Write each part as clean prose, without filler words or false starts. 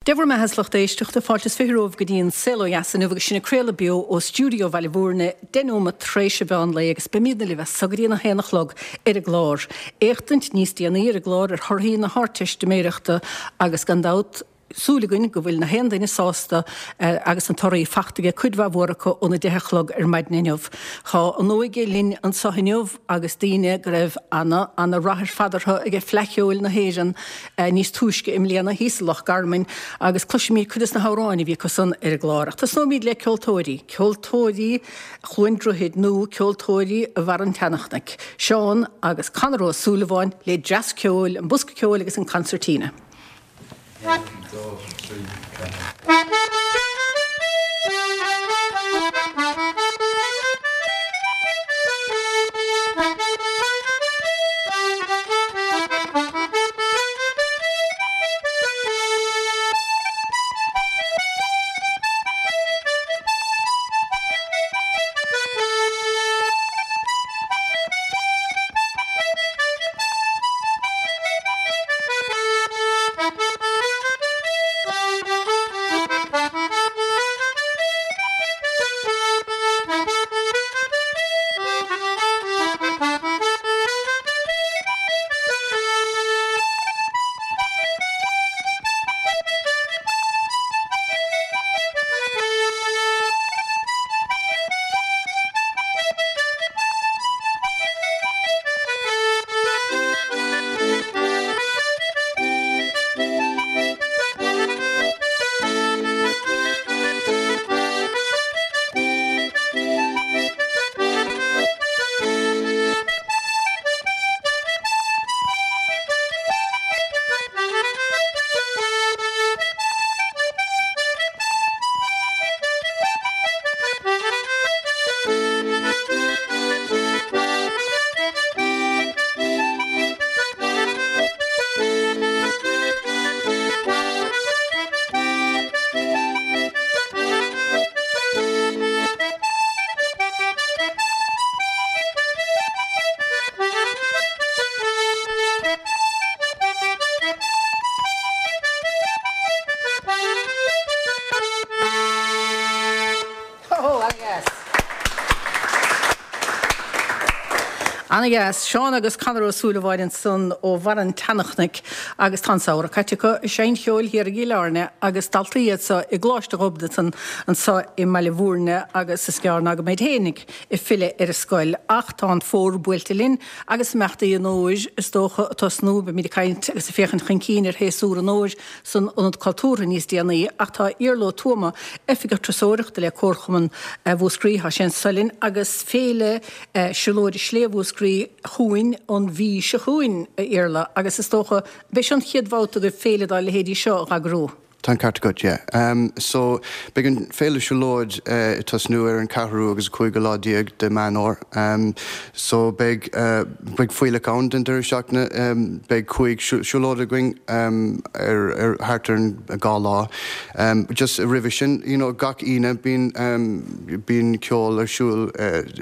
Dé bhur mbeatha a lucht éisteachta, fáilte is 20 romhaibh go dtí an Saol Ó Dheas inniu agus sinn ag craoladh beo ó stiúideo Bhaile Bhúirne, 10 nóiméad tar éis an mheán lae agus beimidne libh as so go dtí an 1 a chlog ar an gclár. Éachtaint níos déanaí ar an gclár ar thorthaí na hArdteistiméireachta agus gan dabht, súil againn go bhfuil na haon duine sásta agus na torthaí fachta aige cuid mhaith mhór acu óna 10 a chlog ar maidin inniu. Tá an óige linn anso inniu agus daoine go raibh ana, ana rath ar fad orthu ag Fleadh Cheoil na hÉireann níos túisce i mbliana thíos i Loch Garman agus cloisfimid cuid des na hamhráin a bhí acu san ar an gclár. Ach tosnóimid le ceoltóirí, ceoltóirí Chluain Droichid nó ceoltóirí Bharr an tSeanchnoic, Seán agus Conor Ó Súilleabháin le dreas ceoil, an bosca ceoil agus an concertina. 1, 2, 3, 4. Ana-dheas. Seán agus Conor Ó Súilleabháin ansan ó Bharr an tSeanchnoic agus tá an samhradh caite acu ag seinnt cheoil thiar i gCill Airne agus daltaí iad so i gColáiste Ghobnatan anso i mBaile Bhúirne agus is gearr ná go mbeid fhéinig ag filleadh ar an scoil ach tá an fómhar buailte linn agus imeachtaí an fhómhair is dócha ag tosnú. Beimid ag caint agus ag féachaint chun cinn ar shéasúr an fhómhair san Ionad Cultúrtha níos déanaí ach tá Iarla Ó Tuama, Oifigeach Turasóireachta le Comharchumann Mhúscraí, tá sé anso linn agus Féile Siúlóide Sléibhe Mhúscraí chugainn an mhí seo chugainn, a Iarla, agus is dócha, ab é seo an chéad bhabhta agaibh féile dá leithéidí seo a dh'eagrú? Tá an ceart agat, yeah. So, beidh an Féile Siúlóid ag tosnú ar an ceathrú agus an cúigiú lá déag de Meán Fhómhair. So, beidh, beidh fuílleach ann den deireadh seachtaine. Beidh cúig siúlóid againn ar, ar, thart ar an dhá lá. Just roimhe sin, you know, gach Aoine bíonn, bíonn ceol ar siúl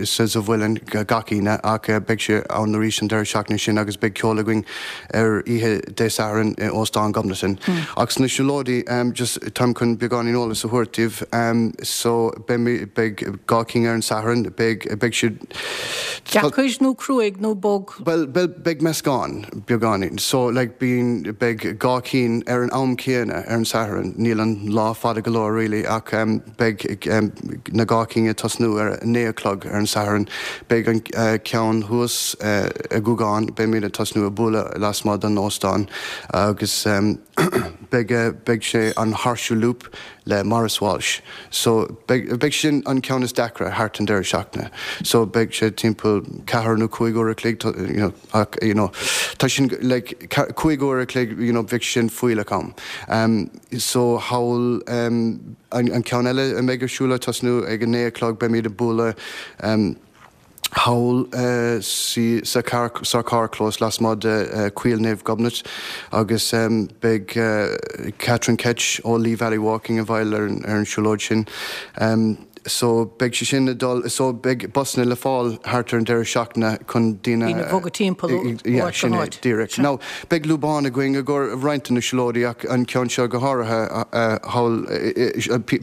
sa, sa Mhuileann gach Aoine ach beidh sé ann arís an deireadh seachtaine sin agus beidh ceol againn ar oíche Dé Sathairn i Óstán Ghobnatan. Ach sna siúlóidí, just táim chun beagáinín eolas a thabhairt daoibh, so beidh, beidh dhá cinn ar an Satharn, beidh, beidh siad. Deacair nó cruaidh nó bog? Bhuel, bhuel, beidh meascán, beagáinín. So, like, bíonn, beidh dhá cinn ar an am céanna ar an Satharn, níl an lá fada go leor really ach, Beidh na dhá cinn ag tosnú ar a 9 a chlog ar an Satharn. Beidh an ceann thuas i nGúgán, beimid ag tosnú ag bualadh lasmuigh den óstán agus beidh beidh sé an Horseshoe Loop le Maurice Walsh. So beidh beidh sin an ceann is deacra thart an deireadh seachtaine. So beidh sé timpeall ceathair nó cúig uair a chloig you know ach you know tá sin like cúig uair a chloig you know bheadh sin fuílleach am. So thall an ceann eile a mbeidh ar siúl ag tosnú ag a 9 a chlog beimid ag bualadh thall sa charrchlós lasmuigh de Choill Naomh Gobnait agus beidh Catherine Ketch ó Lee Valley Walking i bhfeighil ar an siúlóid sin. So beidh sé sin ag dul, so beidh busanna le fáil thart ar an deireadh seachtaine chun daoine. Daoine a bhogadh timpeall ó áit Yeah, go sin é, háit. díreach. Sea. Now, beidh lúbán againn i gcomhair roinnt de na siúlóidí ach an ceann seo go háirithe thall,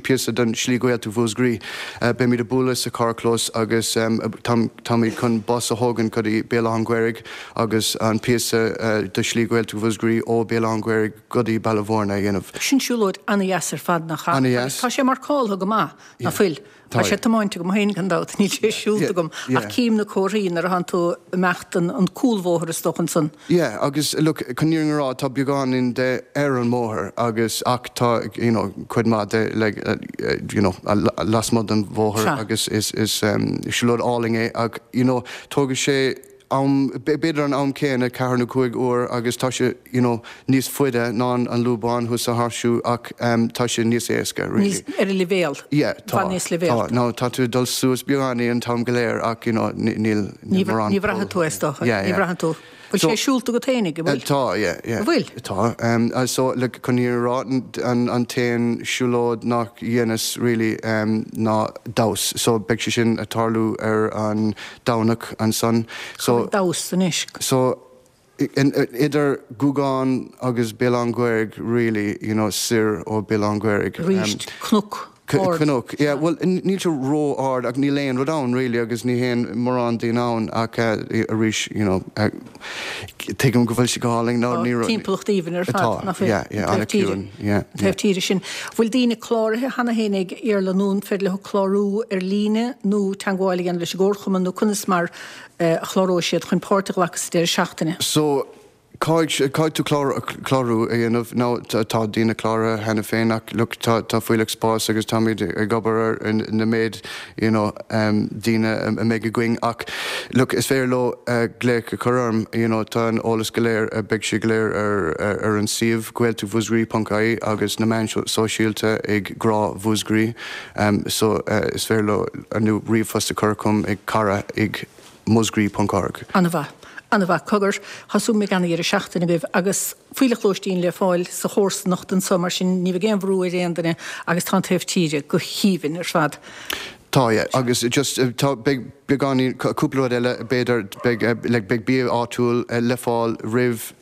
píosa den Slí Ghaeltacht Mhúscraí. Beimid ag bualadh sa carrchlós agus táimid chun bus a thógaint go dtí Béal Átha an Ghaorthaidh agus an píosa de Shlí Ghaeltacht Mhúscraí ó Béal Átha an Ghaorthaidh go dtí Baile Mhúirne a dhéanamh. Sin siúlóid ana-dheas ar fad, nach ea? Ana-dheas. Agus tá sé marcáltha go maith, ná fuil? Tá Tá sé tiomáinte agam féin gan dabht, níl sé siúlta agam, ach cím na comharthaí nuair atánn tú ag imeacht an cúlbhóthar is dócha ansan. Yeah, agus look, chun an fhírinne a rá, tá beagáinín de ar an mbóthar agus ach tá, you know, cuid maith de like, you know, lasmuigh den bhóthar agus is, is siúlóid álainn é ach, you know, tógfaidh sé am, b'fhéidir an am céanna, ceathair nó cúig uair agus tá sé, you know, níos faide ná an lúbán thuas sa Horseshoe ach tá sé níos éasca, really. Níos, ar an leibhéal. Yeah, tá, Bhfad níos leibhéalta. tá. Now tá tú ag dul suas beagáinín an t-am go léir ach, you know, níl, níl mórán Ní bhraithfidh tú é, is dócha. Yeah, Ní yeah. bhraitheann tú. Bhfuil sé siúlta agat fhéinig, an bhfuil? Tá, yeah, yeah. An bhfuil? Tá. So, like, chun an fhírinne a rá, an, an t-aon siúlóid nach dheineas, really, ná Damhas. So, beidh sé sin ag tarlú ar an Domhnach ansan. So. Cá bhfuil Damhas anois? So, idir Gúgán agus Béal Átha an Ghaorthaidh, really, you know, soir ó Béal Átha an Ghaorthaidh. Arís, cnoc ard. Cnoc, yeah, bhuel, níl sé ró-ard ach níl aon rud ann, really, agus ní théann mórán daoine ann ach arís, you know, tuigim go bhfuil sé go hálainn. Tá timpeallacht aoibhinn ar fad, nach bhfuil? Tá, yeah, yeah, an-chiúin, yeah. An taobh tíre sin. Bhfuil daoine cláraithe cheana féin ag Iarla nó an féidir leo clárú ar líne nó teagmháil a dhéanamh leis an gComharchumann nó conas mar a chláróidh siad chun páirt a ghlacadh sa deireadh seachtaine? So, caithfidh, caithfidh tú clárú, clárú a dhéanamh. Now, tá daoine cláraithe cheana féin ach look, tá, tá fuílleach spáis agus táimid ag obair ar na méid, you know, daoine a mbeidh againn ach look, is féidir leo glaoch a chur orm, you know, tá an eolas go léir, beidh sé go léir ar, ar an suíomh gaeltachtmhúscraí ponc ie agus na meáin sóisialta ag Grá Mhúscraí. So is féidir leo nó ríomhphost a chur chugam ag cara ag muscraí ponc org. An-mhaith. An-mhaith. Cogar, tá súil agam go mbeidh ana-dheireadh seachtaine agaibh agus fuílleach lóistín le fáil sa chomharsanacht anso mar sin ní bheidh aon bhrú ar aon duine agus tá an taobh tíre go haoibhinn ar fad. Tá, yeah. Agus just tá, beidh beagáinín, cúpla rud eile b'fhéidir, beidh, like beidh bia áitiúil le fáil roimh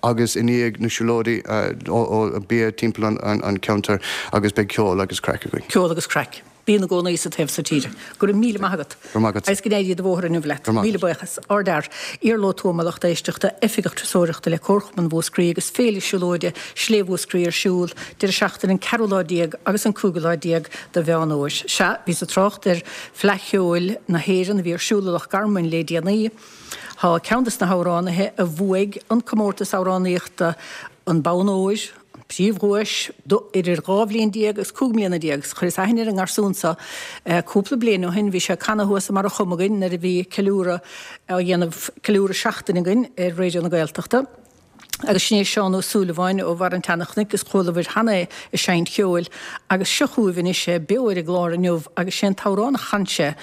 agus i ndiaidh na siúlóidí ó bia timpeall an cheantair agus beidh ceol agus craic againn. Ceol agus craic. Bíonn i gcónaí sa taobh so tíre. Go raibh míle maith agat. Go raibh maith agat. Agus go n-éirí do bhóthar inniu leat. Go raibh maith Míle buíochas. Ardfhear. Iarla Ó Tuama, lucht éisteachta, Oifigeach Turasóireachta le Comharchumann Mhúscraí agus Féile Siúlóide Slé Mhúscraí ar siúl deireadh seachtaine an ceathrú lá déag agus an cúigiú lá déag de Mheán Fhómhair. Sea, bhíos ag trácht ar Fleadh Cheoil na hÉireann a bhí ar siúl i Loch Garman lé déanaí. Tá ceann des na hamhránaithe a bhuaigh an comórtas amhránaíochta an bonn óir, an príomhdhuais, do idir 12 bhliain agus 15 mbliana. Chuireas aithne ar an ngarsún seo cúpla bliain ó shin. Bhí sé ag canadh thuas i mBarra Chomagain nuair a bhí ceiliúradh á dhéanamh, ceiliúradh seachtaine againn ar Raidió na Gaeltachta. Agus sin é Seán Ó Súilleabháin ó bharr an tSeanchnoic agus chualabhair cheana é ag seinnt cheoil agus seo chugaibh anois é beo ar an gclár inniu agus sé an t-amhrán a chan sé,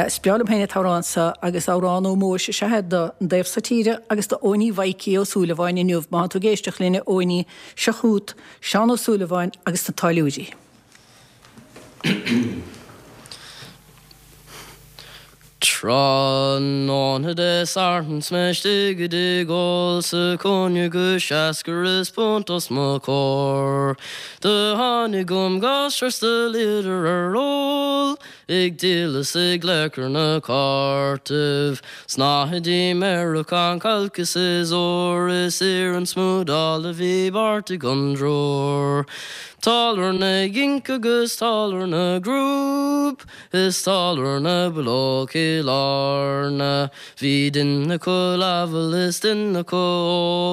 is breá liom féin an t-amhrán seo agus amhrán ómóis is ea é don dtaobh so tíre agus do Eoiní Mhaidhcí Ó Súilleabháin inniu. Má tá tú ag éisteacht linn a Eoiní, seo chugat Seán Ó Súilleabháin agus na Táilliúirí. Tráthnóna Dé Sathairn 's mé istigh i dtigh óil sa chúinne go seascair is punt os mo chomhair. Do tháinig chugam gasúr 's do luíodar ar ól, ag díol is ag glaoch ar na cártaibh. 'S ná hidí Meiriceán cailc is is ór is iarann smúdáil a bhí beartaithe ag an dtriúr. Táilliúir na gCinc agus táilliúir na gCrúb. Is táilliúir na bPileog Chill Airne. Bhí duine acu leamhail is duine acu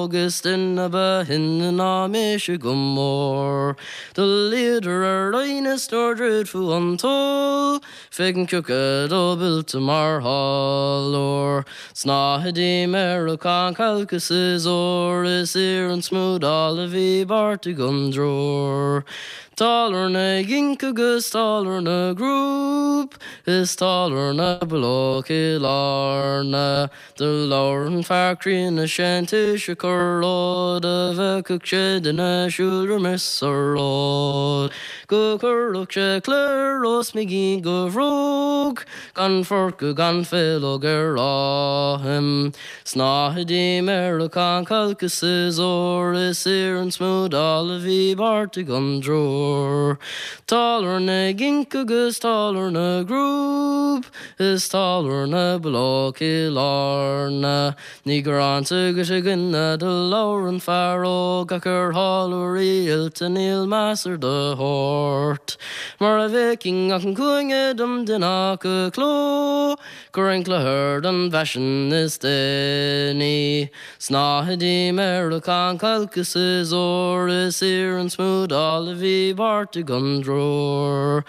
óg is duine ba shine ná mise go mór. Do luíodar ar line is nuair dhruidfeadh an toll feicim cioca dob oilte mar tháilliúir. Snáthaidí Meiriceán cailc is is ór is iarann smúdáil a bhí beartaithe ag an dtriúr. Táilliúir na gCinc agus táilliúir na gCrúb is táilliúir na bPileog Chill Airne. Do labhair an fear críonna sé'n taoiseach a rá dá bhfeicfeadh sé duine ag siúl roimis sa sráid go gcuirfeadh sé cladhaire os mo chionn de bhróg gan forca gan faológ ar a thoim. Snáthaidí Meiriceá cailc is siosúr is iarann smúdála a bhí beartaithe ag an dtriúr. Táilliúir na gCinc agus táilliúir na gCrúb is táilliúir na bPileog Chill Airne. Ní gearánta agat a dhuine do labhair an fear óg ach ar tháilliúirí oilte níl meas ar do shórt. Mura bhfeicfinn ach an cúinne dom duine acu cló. Chuirfinn cladhaire den bhfaisean is déanaí. Snáthaidí Meiriceá cailc is siosúr is iarann smúdála a bhí beartaithe ag an dtriúr.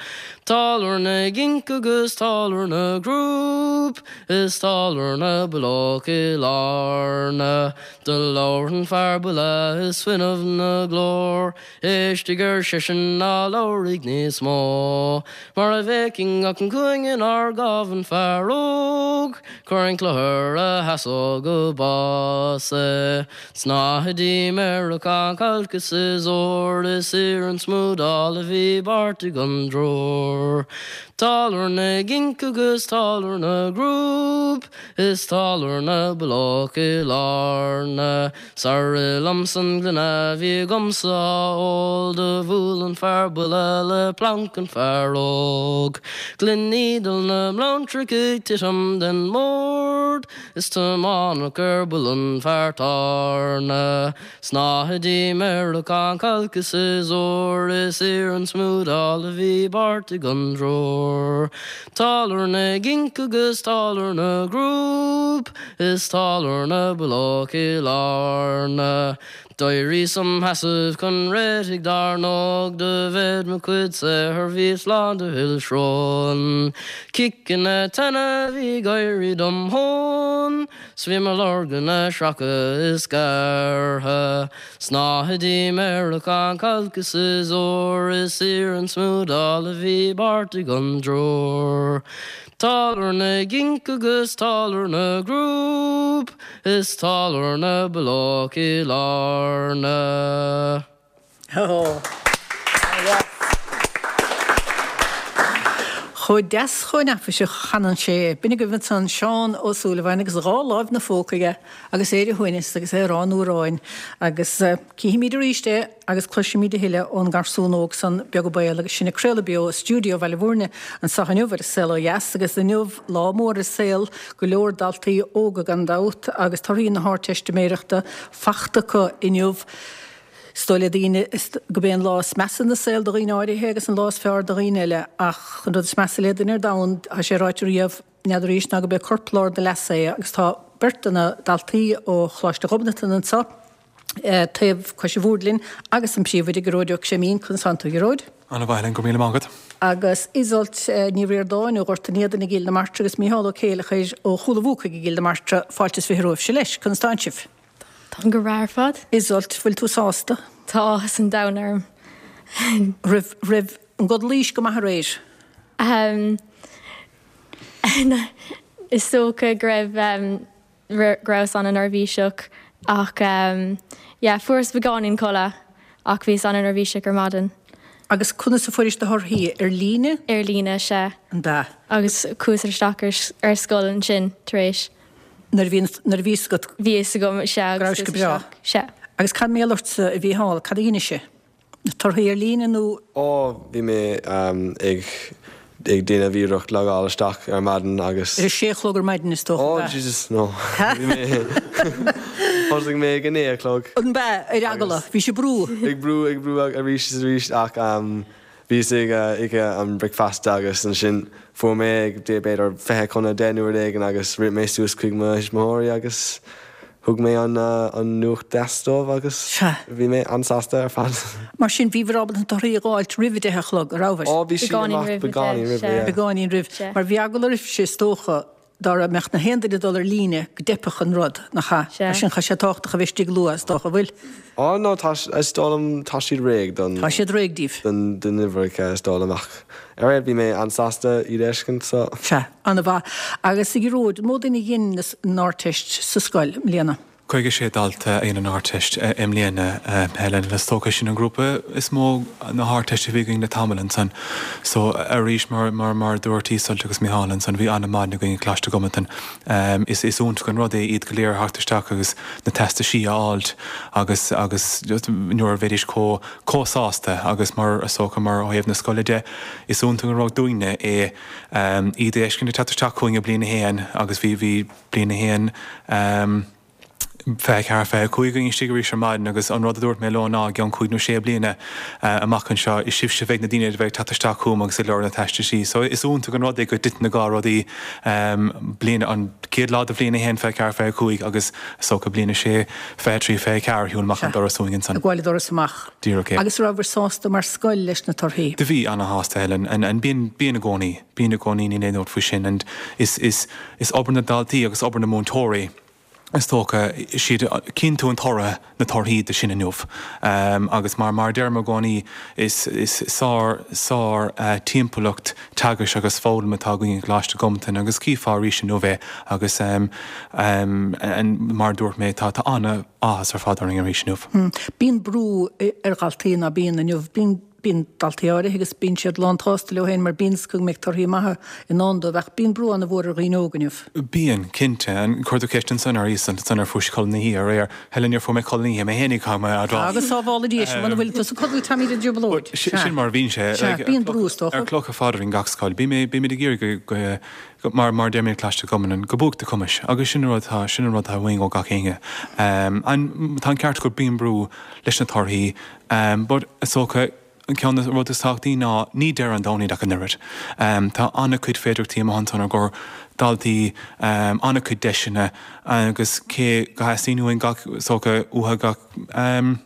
Táilliúir na gCinc agus táilliúir na gCrúb is táilliúir na bPileog Chill Airne. Do labhair an fear buile is fuinneamh 'na ghlór. Éistigh, ar seisean, ná labhraigh níos mó. Mura bhfeicfinn ach an cúinne 'nar ghabh an fear óg, chuirfinn cladhaire a sheasódh go bás é. Snáthaidí Meiriceá cailc is siosúr is iarann smúdála a bhí beartaithe ag an dtriúr. Táilliúir na gCinc agus táilliúir na gCrúb is táilliúir na bPileog Chill Airne. Sar rith liomsa an gloine a bhí agamsa á ól do bhuail an fear buile le planc an fear óg. Gloiní na mblóntrach ag titim den mbord is tiomáineadh ar buile an fear tábhairne. Snáthaidí Meiriceá cailc is siosúr is iarann smúdála a bhí beartaithe ag an dtriúr. Táilliúir na gCinc agus táilliúir na gCrúb. Is táilliúir na bPileog Chill Airne. D'éiríos im sheasamh chun réitigh dár ndóigh do mhéid mo chuid saothair bhíos lán de fhuil sróin. Ciceanna teanna a bhí ag éirí dom thóin 's bhí mo lorgain ag sracadh is gearrtha. Snáthaidí Meiriceá cailc is siosúr is iarann smúdála a bhí beartaithe ag an dtriúr. Táilliúir na gCinc agus táilliúir na gCrúb is táilliúir na bPileog Chill Airne. Chomh deas chomh neafaiseach a chanann sé é. B'in agaibh ansan Seán Ó Súilleabháin agus a dhá láimh 'na phóca aige agus é ar a shuaimhneas agus é ag rá an amhráin agus cífimid arís é agus cloisfimid a thuilleadh ón ngarsún óg san, beag an baol, agus sinn ag craoladh beo ó stiúideo Bhaile Bhúirne anseo inniu ar An Saol Ó Dheas agus inniu lá mór i saol go leor daltaí óga gan dabht agus torthaí na hArdteistiméireachta fachta acu inniu. Is dóigh le daoine gurb é an lá is measa ina saol do dhaoine áirithe agus an lá is fearr do dhaoine eile ach an rud is measa le duine ar domhan, tá sé ráite riamh, n'fheadar arís ná gurb é corp lár do leasa é agus tá beirt de na daltaí ó Choláiste Ghobnatan anseo taobh cois an bhoird linn agus an príomhoide Gearóid Ó Creimín. Conas tánn tú a Ghearóid? Ana mhaith Helen, go raibh míle maith agat. Agus Iseult Ní Ríordáin ó Ghort an Éadain i gCill na Martra agus Mícheál Ó Céileachair ó Chúil an Bhuacaigh i gCill na Martra, fáilte is 20 romhaibhse leis. Conas tánn sibh? Táim go breá ar fad. Iseult, bhfuil tú sásta? Tá áthas an domhain orm. Raibh, raibh an gcodlaís go maith aréir? Ahem. Is dócha go raibh, go rabhas an-neirbhíseach ach yeah fuaireas beagáinín codladh ach bhíos an-neirbhíseach ar maidin. Agus conas a fuairis do thorthaí? Ar líne? Ar líne, sea. An ea? Agus chuas isteach ar scoil ansin tar éis. Nuair a bhí, nuair a bhí fhios agat. Bhí fhios agam, sea. Go rabhais go breá. Sea. Agus cad mar gheall ortsa a Mhícheál, cad a dh'inis? Na torthaí ar líne nó? Ó, bhí mé ag ag déanamh iarracht logáil isteach ar maidin agus. Ar a sé a chlog ar maidin is dócha, ab ea? Ó, Jesus, no. Bhí mé, thosaigh mé ag a naoi a chlog. An ea, ar eagla, bhí sé ag brú. Ag brú, ag brú arís is arís ach bhíos ag ithe an bricfeasta agus ansin fuair mé ag b'fhéidir 20 chun a 10 nó rud éigin agus rith mé suas chuig mo thuismitheoirí agus Thug mé an nuacht deas dóibh agus bhí mé an-sásta ar fad. Mar sin, bhíobhair ábalta na torthaí a dh'fháilt roimh a deich a chlog, a rabhabhair? Ó, bhí siad amach beagáinín roimh, yeah. Beagáinín roimh. Mar bhí eagla oraibhse, is dócha. dá mbeadh na haon duine ag dul ar líne go dteipfeadh an rud, nach ea? Sea. Mar sin tá sé tábhachtach a bheith istigh luath, is dócha, an bhfuil? Á no, tá, is dóigh liom, tá siad réidh don. Tá siad réidh díobh. don, don uimhreacha, is dóigh liom, ach ar aon bhí mé an-sásta iad a fheiscint, so. Sea, an-mhaith. Agus a Ghearóid, an mó duine a dhein an Ardteist sa scoil i mbliana? 56 dalta a dhein an Ardteist i mbliana, Helen. Is dócha sin an grúpa is mó na hArdteiste a bhí againn le tamall ansan. So, arís, mar, mar, mar a dúirt Iseult agus Micheál ansan, bhí an-mhaidin againn i gColáiste Ghobnatan. Is, is iontach an rud é iad go léir a theacht isteach agus na teastaisí a fháilt agus, agus just nuair a bheidís chomh, chomh sásta agus mar, is dócha, mar ó thaobh na scoile de, is iontach an rud dúinne é iad a fheiscint ag teacht isteach chugainn i bliain a haon agus bhí, bhí, Bliain 1, 24, 25 againn istigh arís ar maidin agus an rud a dúirt mé leo ná i gceann cúig nó sé bliana amach anseo is sibhse a bheidh na daoine a bheidh ag teacht isteach chugam agus ag lorg na teastaisí. So is iontach an rud é go dtiteann na dhá rudaí, bliain, an chéad lá de bhliain 1, 24, 25 agus is dócha bliain 6, 23, 24 ar shiúl amach an doras uainn ansan. Ag gabháil an doras amach. Díreach é. Agus rabhabhair sásta mar scoil leis na torthaí? Do bhí, ana-shásta Helen, and, and bíonn, bíonn i gcónaí. Bíonn i gcónaí, níl aon dabht faoi sin and is, is, is obair na ndaltaí agus obair na múinteoirí is dócha, siad, cíonn tú an toradh, na torthaí de sin inniu. Agus mar, mar a deirim i gcónaí, is, is sár, sár timpeallacht teagaisc agus foghlama atá againn i gColáiste Ghobnatan agus chífeá arís inniu é agus mar a dúirt mé, tá, tá an-áthas ar fad orainn arís inniu. Bíonn brú ar dhaltaí, ná bíonn inniu, bíonn, Bíonn daltaí áirithe agus bíonn siad lán tsásta leo féin mar bíonn 's go mbeidh torthaí maithe i ndán dóibh ach bíonn brú an-mhór ar dhaoine óga inniu. Bíonn, cinnte. Chuir tú ceist ansan ar Iseult ansan ar fuair sí codladh na hoíche aréir. Helen, níor fuair mé codladh na hoíche mé fhéinig, caithfidh mé a admháil. Agus sábhála Dia sinn, muna bhfuil tusa ag codladh táimid i dtrioblóid. Sin mar a bhíonn sé. Sea, bíonn brú is dócha. Ar clocha fada in gach scoil. Bímid ag iarraidh go, go, mar, mar a deirimid i gColáiste Ghobnatan, go buaic do chumais. Agus sin an rud atá, sin an rud atá uainn ó gach éinne. An, tá an ceart agat, bíonn brú leis na torthaí. But is dócha, an ceann de na rudaí is tábhachtaí ná ní deireadh an domhain iad ach an oiread. Tá an-chuid féidearthachtaí amach ansan ár gcomhair, daltaí, an-chuid deiseanna agus cé go theastaíonn uainn gach, is dócha, uathu gach, an,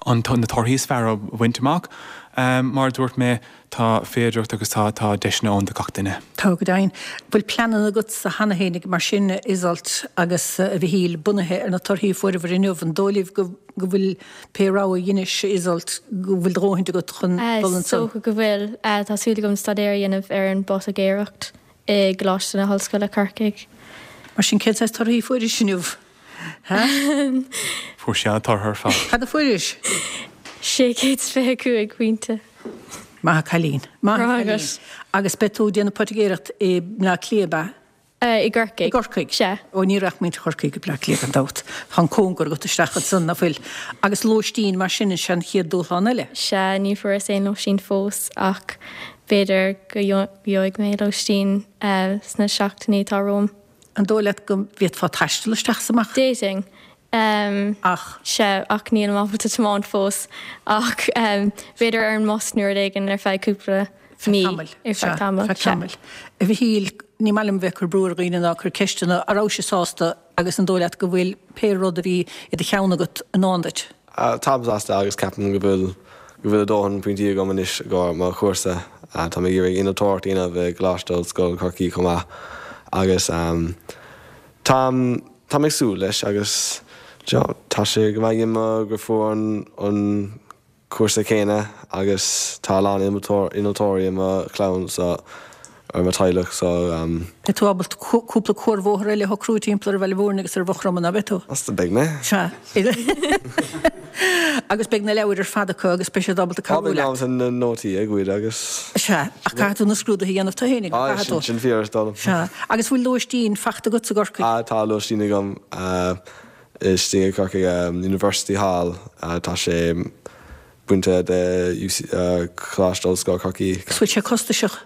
na torthaí is fearr a bhaint amach, mar a dúirt mé, tá féidearthacht agus tá, tá deiseanna ann do gach duine. Tá, go deimhin. Bhfuil pleananna agatsa cheana fhéinig mar sin, a Iseult agus a Mhichíl, bunaithe ar na torthaí a fuaireabhair inniu? An dóigh libh go, go bhfuil pé rogha a dheinis, a Iseult, go bhfuil do dhóthaint agat chun dul Is ansan? dócha go bhfuil. Tá súil agam staidéar a dhéanamh ar an bPotaigéireacht i gColáiste na hOllscoile, Corcaigh. Mar sin, cén saghas torthaí a fuairis inniu? Ha? Fuair sí an-tortha ar fad. Cad a fuairis? 625 pointe. Maith a' cailín. Maith a' Maith cailín. agat. Agus beidh tú ag déanamh poitigéireacht i mBleá Cliath, ab ea? I gCorcaigh. I gCorcaigh. Sea. Ó, ní raghadh muintir Chorcaí go Bleá Cliath gan dabht. Tá an cóngar agat isteach ansan, ná fuil? Agus lóistín, mar sin, is é an chéad dúshlán eile. Sea, ní fuaireas aon lóistín fós ach b'fhéidir go gheobhaidh mé lóistín sna seachtainí atá romham. An dóigh leat go bhféadfá taisteal isteach is amach? D'fhéadfainn. Ach. Sea, ach nílim ábalta tiomáint fós. Ach b'fhéidir ar an mbus nó rud éigin ar feadh cúpla mí. Tamaill. Ar feadh tamaill. Feadh tamaill. A Mhichíl, ní maith liom bheith ag cur brú ar dhaoine ná ag cur ceisteanna. An rabhais sásta agus an dóigh leat go bhfuil pé rud a bhí i do cheann agat i ndán duit? Táim sásta agus ceapaim go bhfuil go bhfuil a dóthain pointí agam anois i gcomhair mo chúrsa. Tá mé ag iarraidh innealtóireacht a dhéanamh i gColáiste Ollscoile Chorcaí chomh maith agus táim táim ag súil leis agus tá sé go maith dhom gur fuair an an cúrsa céanna agus tá a lán innealtóirí i mo chlann so ar mo teaghlach so. Beidh tú ábalta cúpla cuarbhóthar eile a shocrú timpeall ar Bhaile Mhúirne agus ar Mhaigh Chromtha, ná beidh tú? Measta beidh mé. Sea. Agus beidh na leabhair ar fad acu agus beidh siad ábalta cabhrú leat. Beidh mé ábalta na nótaí a ghoid agus. Sea, ach caithfidh tú na scrúduithe a dhéanamh tú fhéinig, nach gcaithfidh tú? Sin fíor, is dóigh liom. Sea. Agus bhfuil lóistín fachta agat i gCorcaigh? Tá lóistín agam. Istigh i gCorcaigh, University Hall, tá sé bainte de UC, Coláiste Ollscoile Chorcaí. Is bhfuil sé costasach?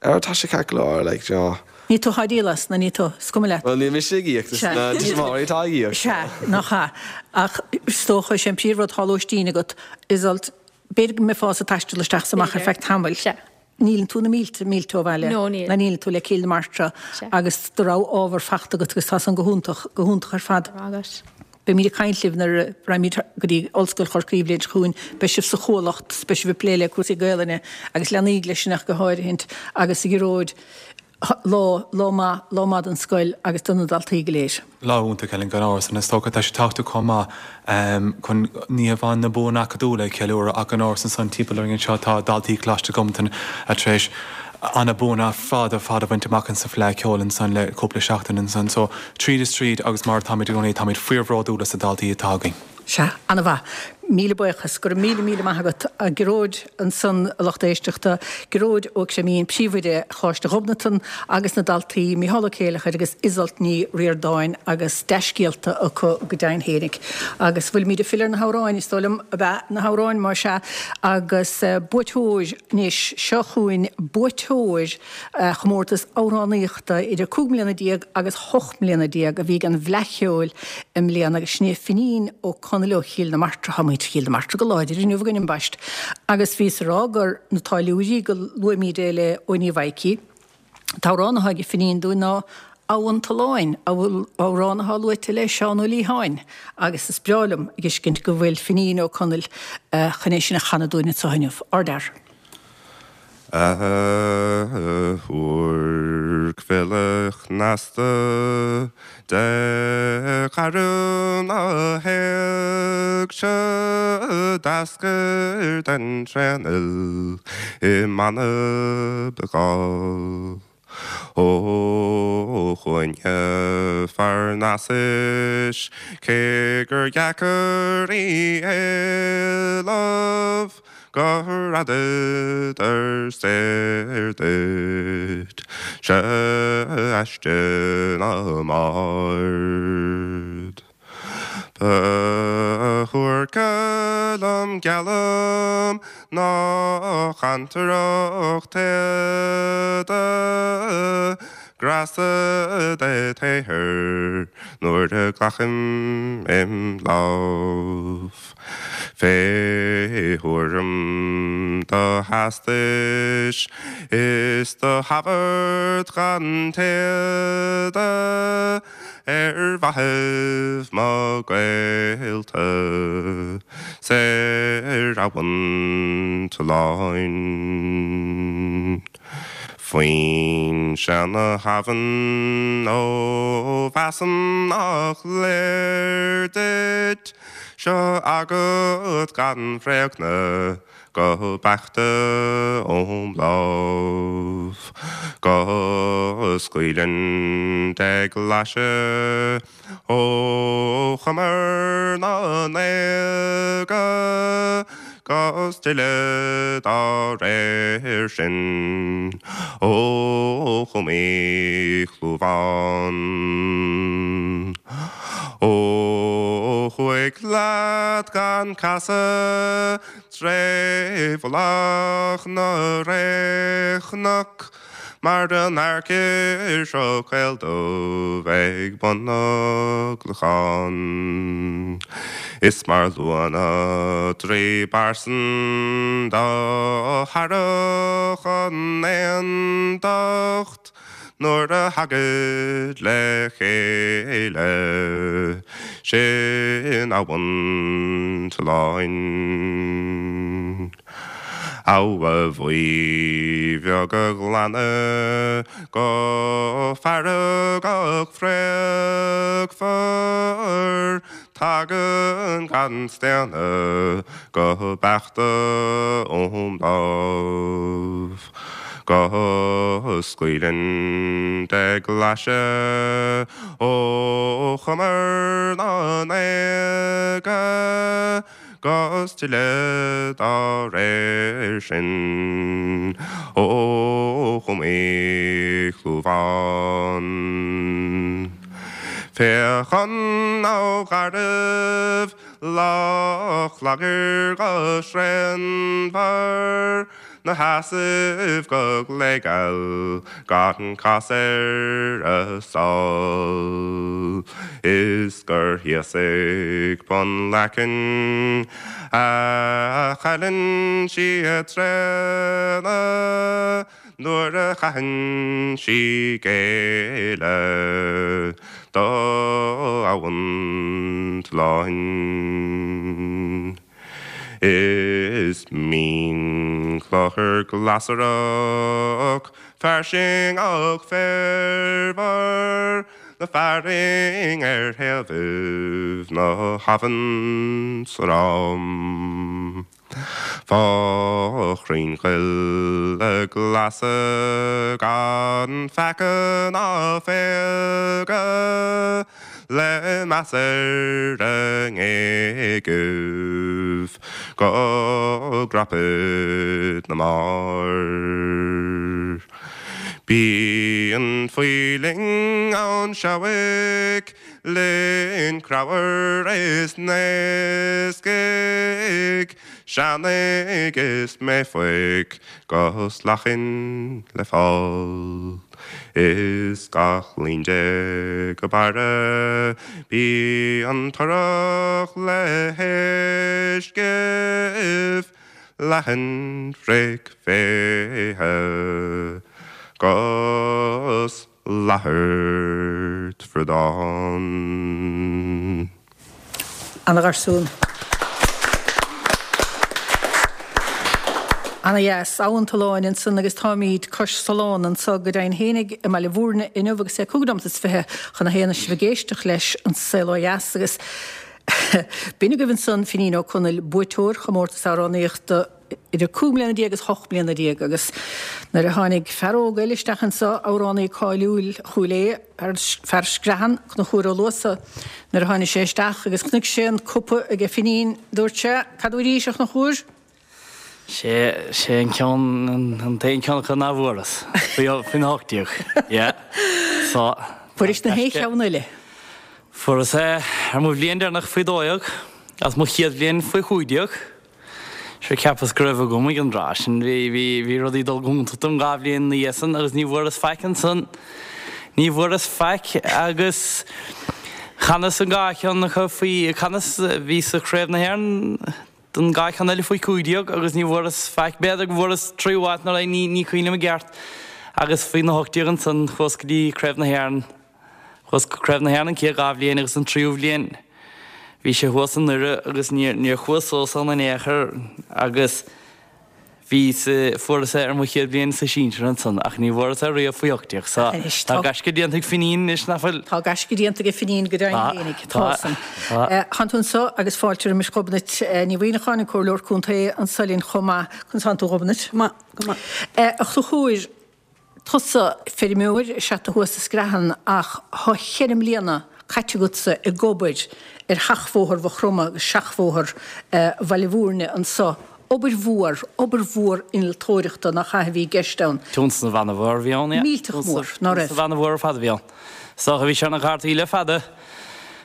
Ar, tá sé ceart go leor, like, you know. Ní tú atá ag díol as, nó ní tú, is cuma leat? Bhuel, níl mise ag íoc, is na tuismitheoirí atá ag íoc. Sea, nach ea. Ach is dócha, is é an príomhrud, tá lóistín agat, Iseult, b'fhéidir go mbeifeása ag taisteal isteach is amach ar feadh tamaill. Sea. Níleann tú na mílte mílte ó bhaile. No, níl. Ná níleann tú le Cill na Martra Sea. agus do rogha ábhar fachta agat agus tá san go hiontach, go hiontach ar fad. Go raibh maith agat. Beimid ag caint libh nuair a raghaimid go dtí Ollscoil Chorcaí an bhliain seo chugainn. Beidh sibh sa Chuallacht, beidh sibh ag plé le cúrsaí Gaelainne agus leanaí leis sin ach go háirithint agus a Ghearóid. Lá, lá maith, lá maith don scoil agus do na daltaí go léir. Lá iontach, Helen, gan amhras, and is dócha tá sé tábhachtach chomh maith chun ní hamháin na buanna acadúla a cheiliúradh ach gan amhras ansan timpeall orainn anseo tá daltaí Choláiste Ghobnatan tar éis ana buanna fada fada a bhaint amach insa Fleadh Cheoil ansan le cúpla seachtain ansan. So tríd is tríd agus mar atáimid i gcónaí táimid fíorbhródúil as na daltaí atá againn. Sea, an-mhaith. Míle buíochas. Go raibh míle, míle maith agat. A Ghearóid ansan, a lucht éisteachta, Gearóid Ó Creimín, Príomhoide Choláiste Ghobnatan agus na daltaí Micheál Ó Céileachair agus Iseult Ní Ríordáin agus dea-scéalta acu go deimhin fhéinig. Agus bhfuilimid ag filleadh ar na hamhráin, is dóigh liom, ab ea? Na hamhráin, más ea. Agus buaiteoir anois, seo chugainn buaiteoir chomórtas amhránaíochta idir 15 mbliana agus 18 mbliana a bhí ag an bhFleadh Cheoil i mbliana agus sin é Finín Ó Conaill ó Chill na Martra. Tá muintir Chill na Martra go láidir inniu againn ambaist agus bhíos ag rá gur na táilliúirí go luaimid é le Eoin Uí Mhaidhcí. An t-amhrán atá ag Finín dúinn ná Abha an tSuláin, amhrán atá luaite le Seán Ó Liatháin agus is breá liom a fheiscint go bhfuil Finín Ó Conaill chun é sin a chanadh dúinn anseo inniu. Ardfhear. A thuairc bhile chneasta de chara na héigse d'eascair den tréanfhuil i mBanna Gall. Ó chúinne Pharnasais cé gur dheacair í éileamh gur fhadadar saor duit se aiste na mbard. Ba shuairce liom geallaim ná chantaireacht téada Greasa de tsaothar nuair a ghlacaim im lámh. Fé thuairim do theastais is do thabhairt gan taoide ar mhaithibh mo ghaolta 's ar Abhainn tSuláin. Foinse na habhann, ó mheasaim nach léir duit, seo agat gan bhréagnadh go beaichte óm lámh, go scaoileann de ghlaise Ó chumar na n-éaga 'gus tuilleadh dá réir sin ó chúmaí Chlúmhán. Ó thuaidh leat gan casadh tré mhullach na réchnoc, Mar an aircir seo caoldubh ag bun na gclochán. Is mar luath na dtrí bpearsan do thairfeadh an aontacht nuair a thagaid le chéile sin Abhainn tSuláin. Abha bhuí bheag a ghlanadh go feargach fraochmhar, tagann gan staonadh go beaichte óm lámh, go scaoileann de glaise ó chumar na n-éaga. 'Gus tuilleadh dá réir sin ó chúmaí Chlúmhán. Féach an abha gharbh Loch Lágair go sréanmhar 'Na sheasamh go gléigeal gan cás ar a sál, Is gur thíos ag bun Leacain a chailleann sí a tréine Nuair a chaitheann sí géilleadh do Abhainn tSuláin. Is mín. Clochar glasarach, fairsingeach féarmhar, Na fearainn ar thaobhaibh na habhann 's ram. Fá chrainn choille glasa gan pheaca ná péaca, Le meas ar a ngéagaibh go gcrapaid na mbarr. Bíonn faoileann ann seabhaic, linn creabhair is naoscaigh, seannaigh is méafaigh 'gus lachain le fáil. Is gach líon de go barra bíonn torrach le huiscibh leathan fraoch féithe 'gus lathairt bhradán. Ana gharsún. Ana dheas. Abha an tSuláin ansan agus táimíd cois Sulán anso go deimhin fhéinig i mBaile Mhúirne inniu agus é cúig nóimeat is 20 chun a haon is sibh ag éisteacht leis An Saol Ó Dheas agus b'in agaibh ansan Finín Ó Conaill, buaiteoir chomórtas amhránaíochta idir 15 mbliana agus 18 mbliana agus nuair a tháinig fear óg eile isteach anso, amhránaí cáiliúil Chúil Aodha, fear Screathan, Conchúr Ó Luasa, nuair a tháinig sé isteach agus chonaic sé an cupa aige Finín, dúirt sé, Cad arís, a Chonchúir? Sé, sé an ceann, an t-aon ceann acu ná bhfuaras, faoin 18, yeah. So. Fuairis na haon cheann eile? Fuaireas é ar mo bhliain deireanach faoi 12 agus mo chéad bhliain faoi 15. Sure cheapas go raibh agam ag an dtráth sin. Bhí, bhí, bhí rudaí ag dul go hiontach dom dhá bhliain ina dhiaidh san agus ní bhfuaireas faic ansan. Ní bhfuaireas faic agus chanas an dhá cheann acu faoi, chanas, bhí sa Chraobh na hÉireann don dhá cheann eile faoi 15 agus ní bhfuaireas faic. B'fhéidir go bhfuaireas tríú háit nó ní, ní cuimhin liom i gceart. Agus faoi na 18 ansan chuas go dtí Craobh na hÉireann. Chuas go Craobh na hÉireann an chéad dhá bhliain agus an tríú bhliain bhí sé thuas i nDoire agus níor níor chuas suas ann in aon chor agus bhí sa fuaireas é ar mo chéad bhliain sa sinsir ansan ach ní bhfuaireas é riamh faoi 18 so Anois tá tá gaisce déanta ag Finín anois nach bhfuil? Tá gaisce déanta ag Finín go deimhin Tá fhéinig, tá tá san. tá. Tánn tú anso agus fáilte roimis Ghobnait Ní Mhuimhneacháin, an Comhairleoir Contae anso linn chomh maith. Conas tánn tú a Ghobnait? Go maith, go maith. A Chonchúir, Tusa, feirmeoir is ea tú thuas i Screathan ach thá cheithre mbliana caite agatsa ag obair ar sheachbhóthar Mhaigh Chromtha agus seachbhóthar Bhaile Mhúirne anso. Obair mhór, obair mhór innealtóireachta nach ea a bhí i gceist ann. Tionscnamh an-mhór a bhí ann, yeah. Millteach mór, ná raibh? Tionscnamh an-mhór ar fad a bhí ann. Is dócha bhí sé ar na cártaí le fada.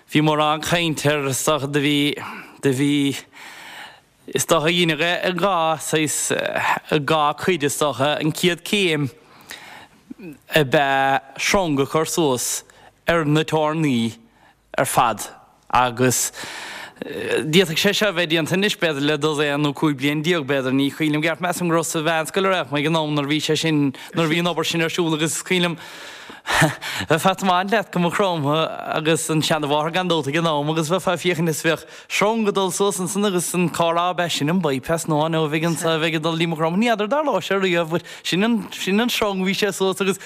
Bhí mórán caint air, is dócha do bhí, do bhí, Is dócha dheineadh é i dhá saghas, i dhá cuid is dócha. An chéad céim ab ea sreang a chur suas ar na tairní ar fad agus d'fhéadfadh sé seo a bheith déanta anois b'fhéidir le dosaen nó 15 bliain b'fhéidir, ní cuimhin liom i gceart, measaim go raibh sa mheánscoil ar mé ag an am nuair a bhí sé sin, nuair a bhí an obair sin ar siúl agus is cuimhin liom bheifeá ag tiomáint leat go Maigh Chromtha agus an seanabhóthar gan dabht ag an am agus bheifeá ag féachaint is bheadh Sreang ag dul suas ansan agus an carr ab é sin an bypass nua nó a bheidh anso a bheidh ag dul dtí Maigh Chromtha. Ní fheadar dtarlóidh sé riamh but sin an, sin an sreang bhí sé suas agus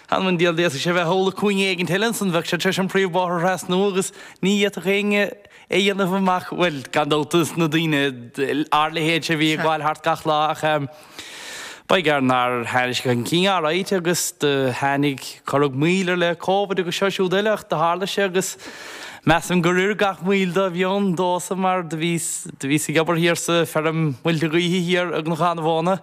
th'anam 'on diabhal d'fhéadfadh sé bheith thall i cúinne éigint eile ansan bheadh sé tar éis an príomhbhóthar a thrasnú agus ní fhéadfadh éinne é dhéanamh amach, bhuel gan dabht is na daoine ár leithéidse a bhí ag gabháil thart gach lá ach eh Ba ghearr nár tháinig sé chun cinn alright agus do tháinig, cuireadh moill air le Covid agus seo siúd eile ach do tharla sé agus measaim gur oir gach moill dá bhí ann domhsa mar do bhíos, do bhíos ag obair thiar sa feirm muilte gaoithe thiar i gCnocán a' Mhóna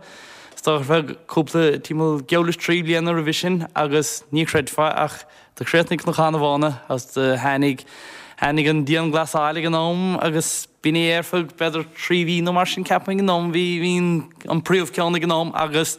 is dócha ar feadh cúpla, timpeall geall leis trí bliana roimhe sin agus ní chreidfeá ach Do chríochnaigh Cnocán a' Mhóna agus do tháinig, tháinig an dianghlasáil ag an am agus b'in é ar feadh b'fhéidir trí mhí nó mar sin ceapaim ag an am, bhí, bhí an, an príomhcheann ag an am agus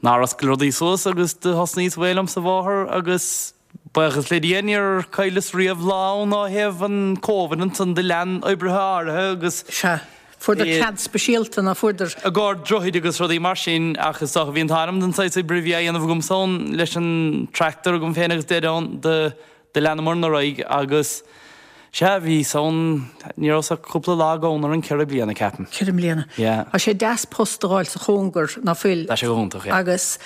nár oscail rudaí suas agus do thosnaíos away liom sa bhóthar agus buíochas le Dia níor chailleas riamh lá ann ó thaobh an Covid ansan do lean oibrithe áirithe agus Sea. Fuaireadar cead speisialta, ná fuaireadar? I gcomhair droichid agus rudaí mar sin ach is dócha bhí an t-ádh liom den saghas oibre a bhí á dhéanamh agamsa ann leis an tractor agam féin agus dead ann do do leanamar ar aghaidh agus. Sea, bhíos ann, ní rabhas ach cúpla lá gann ar an 4 bliana, ceapaim. 4 mbliana. Yeah. Tá sé deas post a dh'fháil sa chóngar, ná fuil? Tá sé go hiontach, yeah. Agus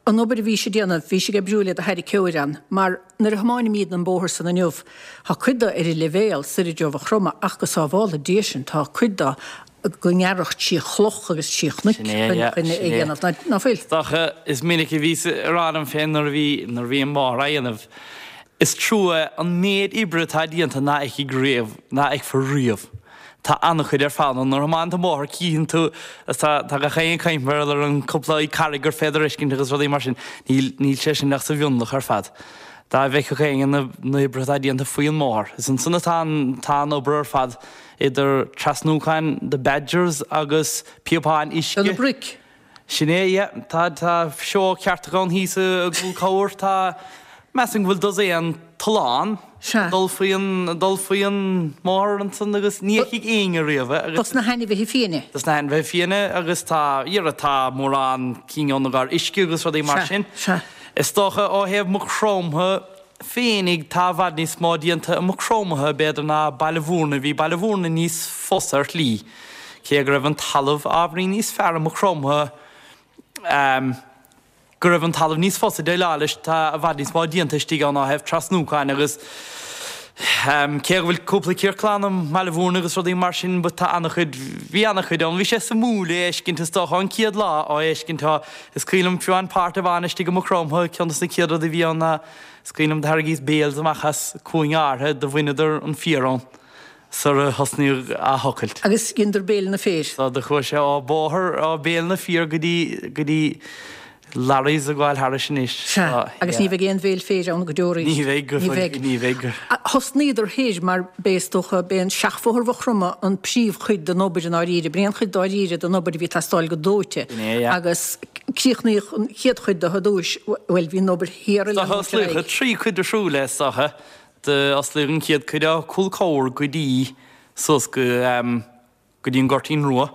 an obair a bhís ag déanamh, bhís ag oibriú le do tharraiceoir ann, mar nuair a thiomáinimídne an bóthar san inniu, tá cuid de ar an leibhéal soir i dtreo Mhaigh Chromtha ach go sábhála Dia sinn, tá cuid de go ngearradh trí chloch agus trí chnoic Sin é, yeah, chun é sin a é. dhéanamh, ná, ná fuil? Is dócha, is minic a bhíos ag rá liom féin nuair a bhí, nuair a bhí an bóthar á dhéanamh, Is trua an méid oibre atá déanta ná fheicfidh riamh, ná fheicfear riamh. Tá an-chuid ar fad ann. Nuair a thiomáineann tú an bóthar cífeann tú, agus tá, tá gach éinne ag caint mar gheall ar an cúpla carraig gur féidir a fheiscint agus rudaí mar sin. Níl, níl sé sin ach sa mhionlach ar fad. Dá bhfeicfeadh éinne na, na hoibrithe atá déanta faoi an mbóthar. Is ansan atá an, tá an obair ar fad idir trasnúcháin the badgers agus píopáin uisce. Do na broic. Sin é, yeah. Tá, tá seó ceartach ann thíos i gCúl Cabhair. Tá, measaim go bhfuil dosaen tollán Sea. ag dul faoi an, ag dul faoi an mbóthar ansan agus ní fheicfidh éinne riamh é agus. Dos na hainmhithe fiaine. Dos na hainmhithe fiaine agus tá, dhera, tá mórán cinn ann i gcomhair uisce agus rudaí mar Sea, sin. sea. Is dócha ó thaobh Maigh Chromtha féinig tá i bhfad níos mó déanta i Maigh Chromtha b'fhéidir ná Baile Bhúirne. Bhí Baile Bhúirne níos fusa ar shlí. Cé go raibh an talamh ábhairín níos fearr i Maigh Chromtha, go raibh an talamh níos fusa déileáil leis, tá i bhfad níos mó déanta istigh ann ó thaobh trasnúcháin agus cé go bhfuil cúpla ciorclán i mBaile Bhúirne agus rudaí mar sin but tá an-chuid, bhí an-chuid ann. Bhí sé suimiúil é a fheiscint is dócha an chéad lá á fheiscint. Tá, is cuimhin liom fiú an páirt a bhain istigh i Maigh Chromtha, ceann dos na chéad rudaí a bhí ann ná, is cuimhin liom do tharraingíos bales amach as cúinne áirithe, do bhaineadar an féar ann. sar a thosnaíodh á thochailt. Agus dheineadar béileanna féir. So do chuaigh sé ó bóthar, ó bhéal na féir go dtí, go dtí lorries ag gabháil thairis anois. Sea, agus ní bheidh aon bhéal féir ann go deo arís. Ní bheidh, Ní bheidh. ní bheidh. Thosnaíodar thoir mar b'é is dócha, b'é an seachbhóthar Mhaigh Chromtha an príomhchuid den obair i ndáiríre, b'in é an chuid dáiríre den obair a bhí ag teastáil go dóite. B'in é, yeah. Agus críochnaíodh an chéad chuid de ar dtúis, bhuel, bhí an obair thiar ag Is dócha leanúint ar osclaíodh aghaidh. trí chuid difriúil é is dócha. D'osclaíodh an chéad cuid ó Cúl Cabhair go dtí suas go go dtí an Goirtín Rua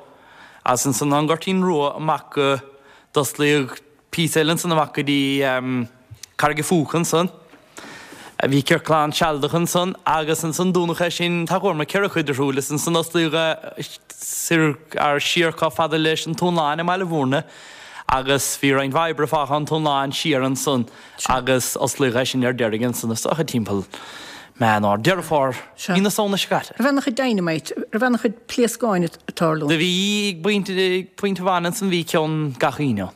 agus ansan ón Goirtín Rua amach go d'osclaíodh píosa eile ansan amach go dtí Carraig a' Phúca ansan. Bhí ciorclán sealadach ansan agus ansan dúnadh é sin tá chomh maith 4 chuid difriúil is ansan osclaíodh é soir ar siar chomh fada leis an Túnláin i mBaile Bhúirne agus bhí roinnt mhaith oibre fágtha ón Túnláin siar ansan. Agus osclaíodh é sin ar deiridh ansan is dócha timpeall Meán Fhómhair, Deireadh Fómhair, mí na Samhna seo caite. Raibh an-chuid dynamite, raibh an-chuid pléascáin ag tarlú. Do bhí, ag pointe, ag pointe amháin ansan bhí ceann gach Aoine ann.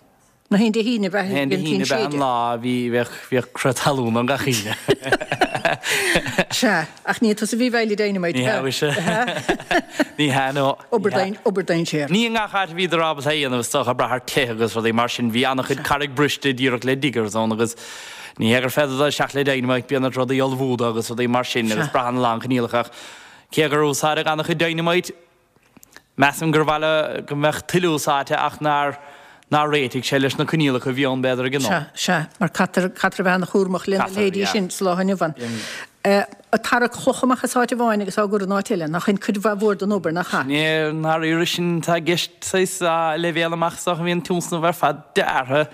Na haon Dé hAoine ab ea? Na haon Dé hAoine ab ea an lá a bhí, bheadh, bhíodh crith talún ann gach Aoine. Sea, ach ní tusa a bhí ag bailiú dynamite, Ní hea, mhuise. Ní hea, no. Obair dainséar. Ní i ngach áit a bhíodar ábalta é a dhéanamh is dócha, ag brath ar tithe agus rudaí mar sin. Bhí an-chuid carraig briste díreach le diggers ann agus ní hé gur féidir dul isteach le dynamite, bíonn ort rudaí a ullmhú dó agus rudaí mar sin agus braitheann a lán coinníollacha ach cé gur úsáideadh an-chuid dynamite, Measaim gur mhaith le go mbeadh tuilleadh úsáidte ach nár nár réitigh sé leis na coinníollacha a bhí ann b'fhéidir ag an am. Sea, sea, mar caithfear caithfear a bheith an-chúramach lena Caithfear, leithéidí yeah. sin sa lá inniu ann. Ag tarrac cloch amach as áit amháin agus á gcur in áit eile, nach in cuid mhaith mhór den obair, nach ea? Sin é, ndáiríre sin atá i gceist, saghas, leibhéal amach is dócha a bhí an tionscnamh ar fad deartha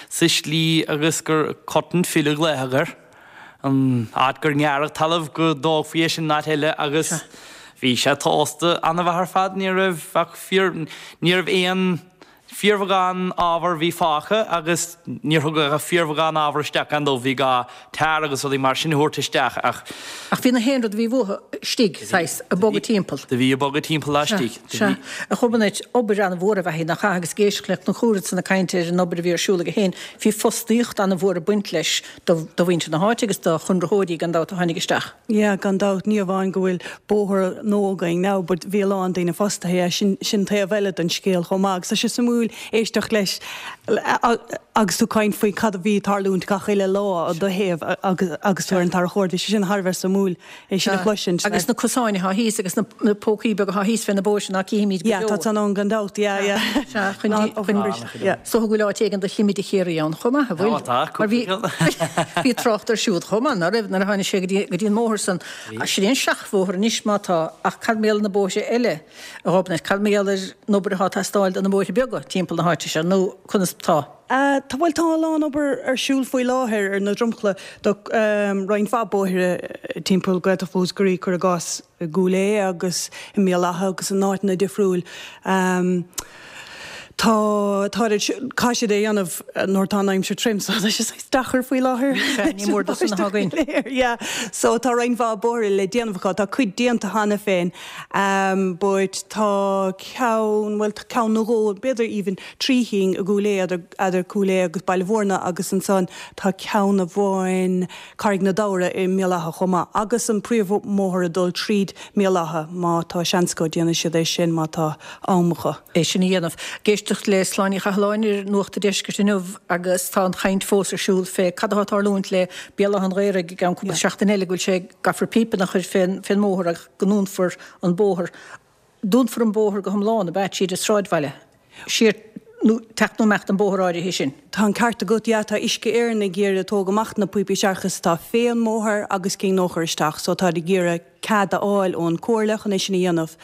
sa slí agus gur cut and fill a glaodh air. an áit gur ngearradh talamh go dtógfaí é sin in áit eile agus bhí sé tomhasta an-mhaith ar fad, ní raibh ach fíor, ní raibh aon fíorbheagán ábhar a bhí fágtha agus níor thugadh ach fíorbheagán ábhar isteach gan dabht, bhí gá tar agus rudaí mar sin a thabhairt isteach ach. Ach bhí na haon rud a bhí uathu istigh, saghas, ag bogadh timpeall. Do bhí ag bogadh timpeall laistigh. Sea, sea. A Ghobnait, obair an-mhór ab ea í, nach ea, agus ag éisteacht le Conchúr ansan ag caint ar an obair a bhí ar siúl aige féin, bhí fostaíocht an-mhór ag baint leis do mhuintir na háite agus do chonraitheoirí gan dabht a tháinig isteach. Yeah, gan dabht, ní amháin go bhfuil bóthar nua againn now but bhí a lán daoine fostaithe, yeah, sin, sin taobh eile den scéal chomh maith agus tá sé suimiúil éisteacht leis agus tú ag caint faoi cad a bhí ag tarlúint gach uile lá i do thaobh agus, agus tú ar an tarracóir, bhí sé sin thar a bheith suimiúil. É sin a chloisint. Agus na cosáin atá thíos agus na pócaí beaga atá thíos fé na bóithre ná cífimid go deo. Yeah, tá san ann gan dabht, yeah, yeah. Sea, chun, chun, is dócha go bhfuil áit éigin do chimide Chiarraí ann chomh maith, an bhfuil? Tá, tá, Mar bhí, bhí trácht air siúd chomh maith, ná raibh, nuair a tháinig sé go dtí, go dtí an mbóthar san. Sin é an seachbhóthar anois má tá, ach cad mar gheall ar na bóithre eile, a Ghobnait, cad mar gheall ar an obair atá ag teastáil do na bóithre beaga timpeall na háite seo, nó conas tá? Tá, bhuel tá a lán obair ar siúl faoi láthair ar na dromchla do roinnt mhaith bóithre timpeall Gaeltacht Mhúscraí, cuir i gcás i gCúil Aodha agus i mBéal Átha agus in áiteanna difriúil. Tá, tá, caithfidh siad é a dhéanamh nuair atá an aimsir tirim so tá sé saghas deacair faoi láthair. Sea, ní mór do san atá againn. Yeah, so tá roinnt mhaith bóithre le déanamh acu, tá cuid déanta cheana féin but tá ceann, bhuel tá ceann nó dhó, b'fhéidir even 3 chinn i gCúil Aodha, eadar Cúil Aodha agus Baile Mhúirne agus ansan tá ceann amháin, Carraig na Damhra i mBéal Átha chomh maith agus an príomhbhóthar ag dul tríd mBéal Átha, má tá seans acu déanfaidh siad é sin má tá am acu. é sin a dhéanamh. Ag éisteacht le Sláine Ní Chathalláin ar Nuacht a' Deiscirt inniu agus tá an chaint fós ar siúl fé cad atá ag tarlúint le Béal Átha an Ghaorthaidh i gceann cúpla seachtain eile go bhfuil sé gcaithfear píopanna a chur fén mbóthar agus go ndúnfar an bóthar. Dúnfar an bóthar go hiomlán, ab ea, tríd an sráidbhaile, siar nó teacht nó imeacht an bóthar áirithe sin? Tá an ceart agat, yeah, tá Uisce Éireann ag iarraidh tóg amach na píopaí séarachais atá fén mbóthar agus cinn nua a chur isteach, so táid ag iarraidh cead a fháil ón Comhairle chun é sin a dhéanamh.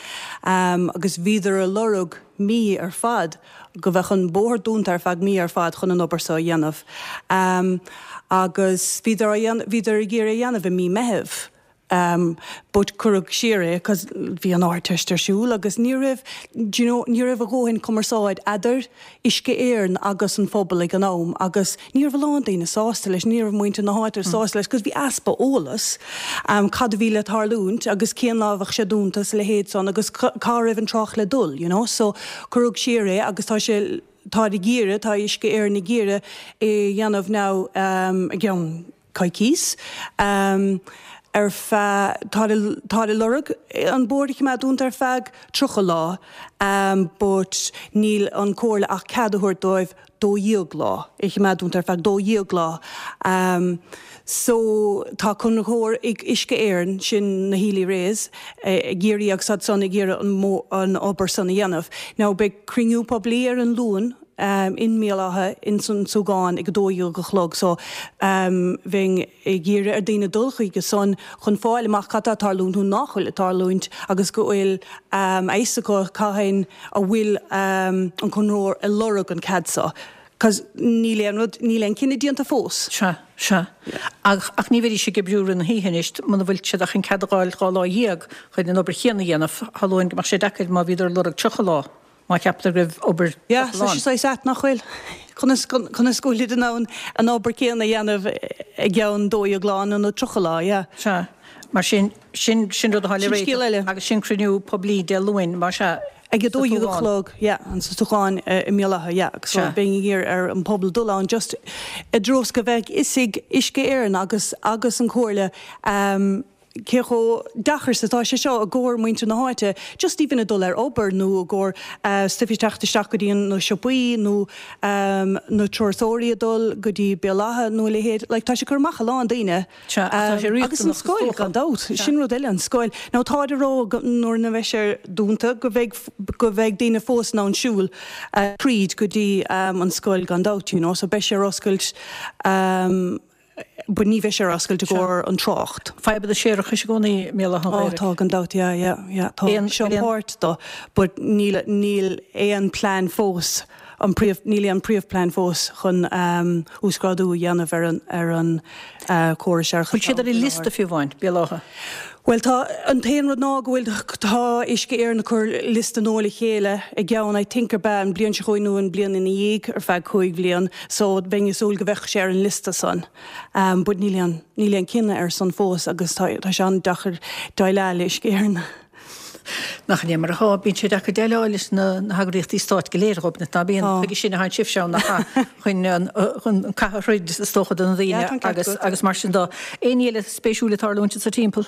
Agus bhíodar ag lorg mí ar fad, go bheadh an bóthar dúnta ar feadh mí ar fad chun an obair so a dhéanamh. Agus bhíodar á dhéanamh, bhíodar ag iarraidh é a dhéanamh i mí Meitheamh. But cuireadh siar é cos bhí an Ardteist ar siúl agus ní raibh, do you know, ní raibh a dhóthain cumarsáid eadar Uisce Éireann agus an phobal ag an am agus ní raibh a lán daoine sásta leis, ní raibh muintir na háite sásta leis cos bhí easpa eolas cad a bhí le tarlúint agus cén lá a bheadh sé dúnta is a leithéid san agus cá raibh an trácht le dul, you know. So cuireadh siar é agus tá sé, táid ag iarraidh, tá Uisce Éireann ag iarraidh é a dhéanamh now i gceann coicís ar feadh, táid ag lorg an bóthar a choimeád dúnta ar feadh 30 lá but níl an Comhairle ach cead a thabhairt dóibh 12 lá, é a choimeád dúnta ar feadh 12 lá. So tá conraitheoir ag Uisce Éireann, sin na Healy Raes, ag iarraidh agus iad san ag iarraidh an obair san a dhéanamh. Now beidh cruinniú poiblí ar an Luan in mBéal Átha ins an Súgán ag a 12 a chlog so bheinn ag iarraidh ar daoine dul chuige san chun fáil amach cad tá ag tarlúint nó nach bhfuil ag tarlúint agus go bhfuil a fhios acu cathain a bhfuil an conraitheoir ag lorg an cead so cos níl aon rud, níl aon cinneadh déanta fós. Sea, sea. Ach, ach ní bheidís ag oibriú rith na hoíche anois muna bhfuil siad ach chun cead a dh'fháil 12 lá chun an obair chéanna a dhéanamh. Shamhlóinn go mbeadh sé deacair má bhíodar ag lorg 30 lá. Má cheaptar go raibh obair Yeah, tá sé saghas ait, nach bhfuil? Conas, conas go bhfuilid in ann an obair céanna a dhéanamh i gceann 12 lá nó 30 lá, yeah. Sea. Mar sin, sin, sin rud atá le Sin scéal réiteach eile. agus sin cruinniú poiblí Dé Luain, más ea, Ag a sa 12 a tSúgán. chlog, yeah, an sa Súgán i mBéal Átha, yeah, agus so Sea. bheinn ag iarraidh ar an pobal dul ann just i dtreo is go bheadh fhios ag Uisce Éireann agus, agus an Chomhairle, cé chomh deacair is atá sé seo i gcomhair muintir na háite, just even ag dul ar obair nó i gcomhair stuif ag teacht isteach go dtí na siopaí nó na turasóirí ag dul go dtí Béal Átha nó a leithéid. Like tá sé ag cur amach a lán daoine. Sea, ach tá sé Agus an riachtanach is scoil, dócha. gan dabht. Sin rud eile, an scoil. Now táid ag rá go nuair a bheidh sé dúnta go bheidh go bheidh daoine fós in ann siúl tríd go dtí an scoil gan dabht, you know, so beidh sé ar oscailt but ní bheidh sé ar oscailt i gcomhair an trácht. Fadhb an séarachais i gcónaí i mBéal Átha an Ó Ghaorthaidh. tá gan dabht yeah yeah yeah tá Aon, seo aon. páirt do but níl níl aon plean fós an príomh níl aon príomhplean fós chun uasghrádú a dhéanamh ar an ar an córas séarachais Bhfuil siad ar an liosta fiú amháin, Béal Átha? Bhuel tá, an t-aon rud ná go bhfuil, tá Uisce Éireann ag cur liosta nua le chéile i gceann I think ar b'ea an bliain seo chugainn nó an bliain ina dhiaidh ar feadh 5 bhliain so bheinn ag súil go bheadh sé ar an liosta san. But níl aon, níl aon cinneadh ar san fós agus tá, tá sé an-deacair déileáil le Uisce Éireann. Nach in é mar atá, bíonn sé deacair déileáil leis na heagraíochtaí stáit go léir, Ghobnait, ná bíonn? Tá. Chuige sin a théann sibhse ann, nach ea? Chun an, chun an cath a throid, is dócha, do na Yeah, daoine tá an ceart agus, agat. agus mar sin de. Aon ní eile spéisiúil ag tarlúint anso timpeall?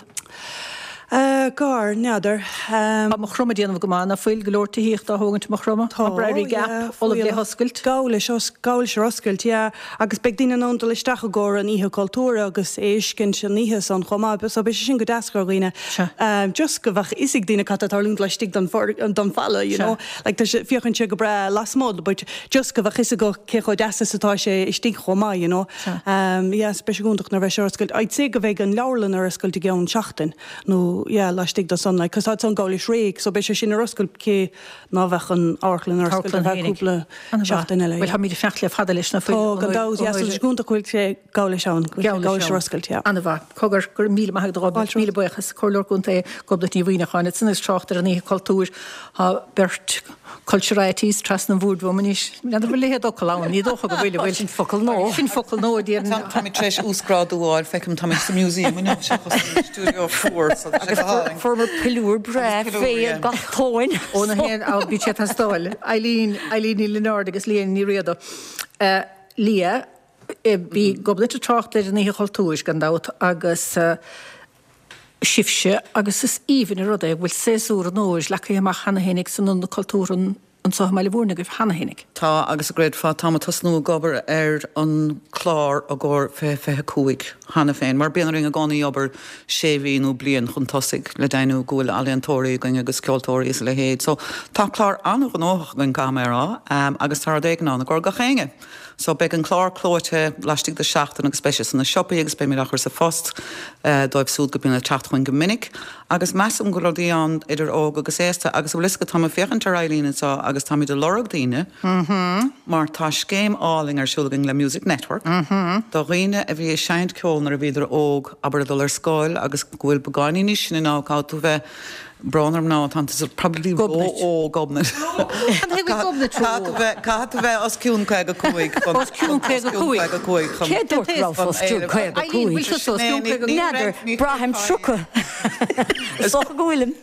Gar, n'fheadar. Tá Maigh Chromtha ag déanamh go maith, ná fuil? Go leor tithíochta á thógaint i Maigh Chromtha. Tá, Tá Briery Gap yeah, ullamh le fuíollach. hoscailt. Gabh leis, gabh leis ar oscailt, yeah. Agus beidh daoine in ann dul isteach i gcomhair an oíche cultúrtha agus é a fheiscint an oíche san chomh maith. So beidh sé sin go deas do dhaoine. Sea. Just go bheadh fhios ag daoine cad tá ag tarlúint laistigh den den falla, you Sea. know. Like tá sé, féachann sé go breá lasmuigh but just go bheadh fhios acu cé chomh deas is atá sé istigh chomh maith, you know. Sea. Yeah, so beidh sé go hiontach nuair a bheidh sé ar oscailt. I'd say go bheidh an leabharlann ar oscailt i gceann seachtain nó. nó yeah laistigh de san like 'cause tá san gabháil leis réidh so beidh sé sin ar oscailt cé ná bheadh an amharclann ar oscailt ar feadh cúpla seachtain eile Bhuel táimid ag fanacht le fada leis na Tá gan dabht yeah so tá sé go hiontach go bhfuil sé gabháil leis ann, go bhfuil sé gabháil leis ar oscailt yeah. An-mhaith. Cogar, go raibh míle maith agat a Ghobnait, míle buíochas. Comhairleoir Contae Gobnait Ní Mhuimhneacháin. Ansan ag trácht ar an Oíche Cultúir tá beirt culturites trasna an bhoird uaim anois. N'fheadar an bhfuil a leithéid d'fhocal ann, ní dócha go bhfuil, an bhfuil? Sin focal nua. Sin focal nua, déarfainn. Táimid tar éis uasghrádú a fháil, feicim, táimid sa museum inniu seachas sa stiúideo fuar, so tá sé go hálainn. Fuaireamar piliúr breá fé gach tóin. Ó na haon, á, bhí sé ag teastáil. Eileen, Eileen Ní Lionáird agus Leah Ní Riada. Leah, bhí Gobnait ag trácht ar an Oíche Chultúir, gan dabht, agus sibhse, agus is aoibhinn an rud é go bhfuil séasúr an fhómhair leagtha amach cheana féinig san Ionad Cultúrtha anseo i mBaile Mhúirne agaibh cheana féinig. Tá, agus an gcreidfeá, táim ag tosnú ag obair ar an clár i gcomhair 2025 cheana féin, mar bíonn orainn i gcónaí obair sé mhí nó bliain chun tosaigh le deimhniú go bhfuil ealaíontóirí againn agus ceoltóirí is a leithéid. So, tá clár an-ghnóthach againn, caithfidh mé a rá, agus tá rud éigin ann i gcomhair gach éinne. So beidh an clár clóite laistigh de sheachtain agus beidh sé sna siopaí agus beimid á chur sa phost dóibh siúd go mbíonn ag teacht chugainn go minic. Agus measaim go bhfuil rudaí ann idir óg agus aosta agus an bhfuil fhios agat táim ag féachaint ar Eileen anseo agus táimid ag lorg daoine mar tá scéim álainn ar siúl againn le Music Network do dhaoine a bhí ag seinnt ceoil nuair a bhíodar óg, abair ag dul ar scoil agus go bhfuil beagáinín níos sine ná caithfidh tú bheith Brón orm now, tá tú probably ró-óg, Gobnait. Caithfidh tú bheith os cionn 55 chun. Os cionn 55? chun. Cé dúirt go raibh os cionn 55? Eileen, bhfuil tusa os cionn 55? N'fheadar, braithim 30. Is dócha go bhfuilim.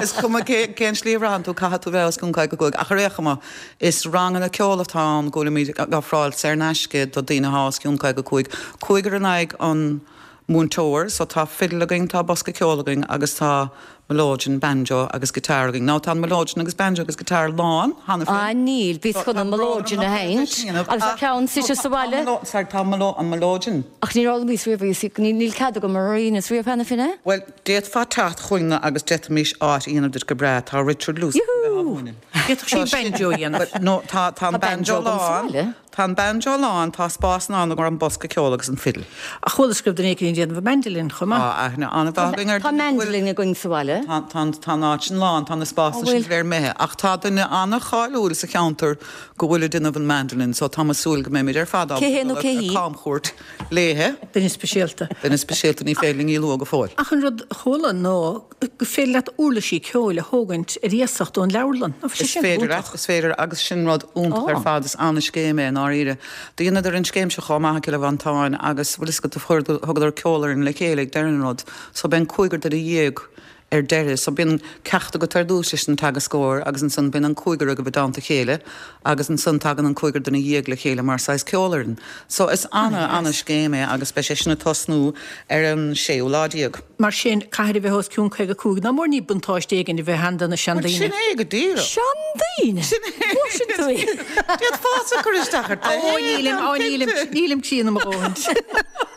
Is cuma cén slí a bhraitheann tú, caithfidh tú bheith os cionn 55. Ach ar aon chuma, is ranganna ceoil atá ann go bhfuilimid ag ofráil saor in aisce do daoine atá os cionn 55. Cúigear in aghaidh an múinteoir, so tá fidil againn, tá bosca ceoil againn agus tá melodeon, banjo agus guitar againn. Now tá an melodeon agus banjo agus guitar lán cheana féin. Ah níl, bhíos chun an melodeon a sheinnt agus tá ceann suite sa bhaile. Sorry, tá an melodeon. Ach níor fhoghlaimíos riamh í, níl cead agam mar dheineas riamh cheana féin é. Bhuel, d'fhéadfá teacht chugainne agus d'fhéadfaimis áit a dhéanamh duit go breá, tá Richard Luce chun bheith á mhúineadh. D'fhéadfadh sí banjo a dhéanamh. No, tá an banjo lán. Tá an banjo lán, tá spás ann i gcomhair an bosca ceoil agus an fidil. Ach chualas go raibh duine éicint ag déanamh an mandolin chomh maith. Tá aithne an-mhaith againn ar Tá mandolin againn sa bhaile. Tá, tá, tá an áit sin lán, tá na spásanna sin go léir imithe. Ach tá duine an-cháiliúil sa cheantar go bhfuil ag déanamh an mandolin so tá mé ag súil go mbeimid ar fad Cé hé ábalta nó dul cé ar hí? camchuairt léithe. Duine speisialta. Duine speisialta, ní féidir linn í a lua go fóill. Ach an rud a chuala ná gur féidir leat uirlisí ceoil a thógaint ar iasacht ón leabharlann. Ná Is féidir leat, is féidir agus sin rud iontach ar fad, is an-scéim é i ndáiríre. Do dheineadar an scéim seo chomh maith i gCill Mhantáin agus bhfuil fhios agat do chuir, thugadar ceolfhoireann le chéile ag deireadh an rud so bíonn cúigear duine dhéag ar deireadh so bíonn ceacht agat ar dtús leis an teagascóir agus ansan bíonn an cúigear agaibh i dteannta a chéile agus ansan tagann an cúigear duine dhéag le chéile mar saghas ceolfhoireann. So is ana, ana-scéim é agus beidh sé sin ag tosnú ar an séú lá déag. Mar sin, caithfidh a bheith os cionn 55. Ná mór ní buntáiste éigin a bheith ann do na seandaoine. Sin é go díreach. Seandaoine? Sin é. Ó, sin tú é. D'fhéadfása cur isteach ar Ó, nílim, ó, nílim, nílim críonna mo dhóthain.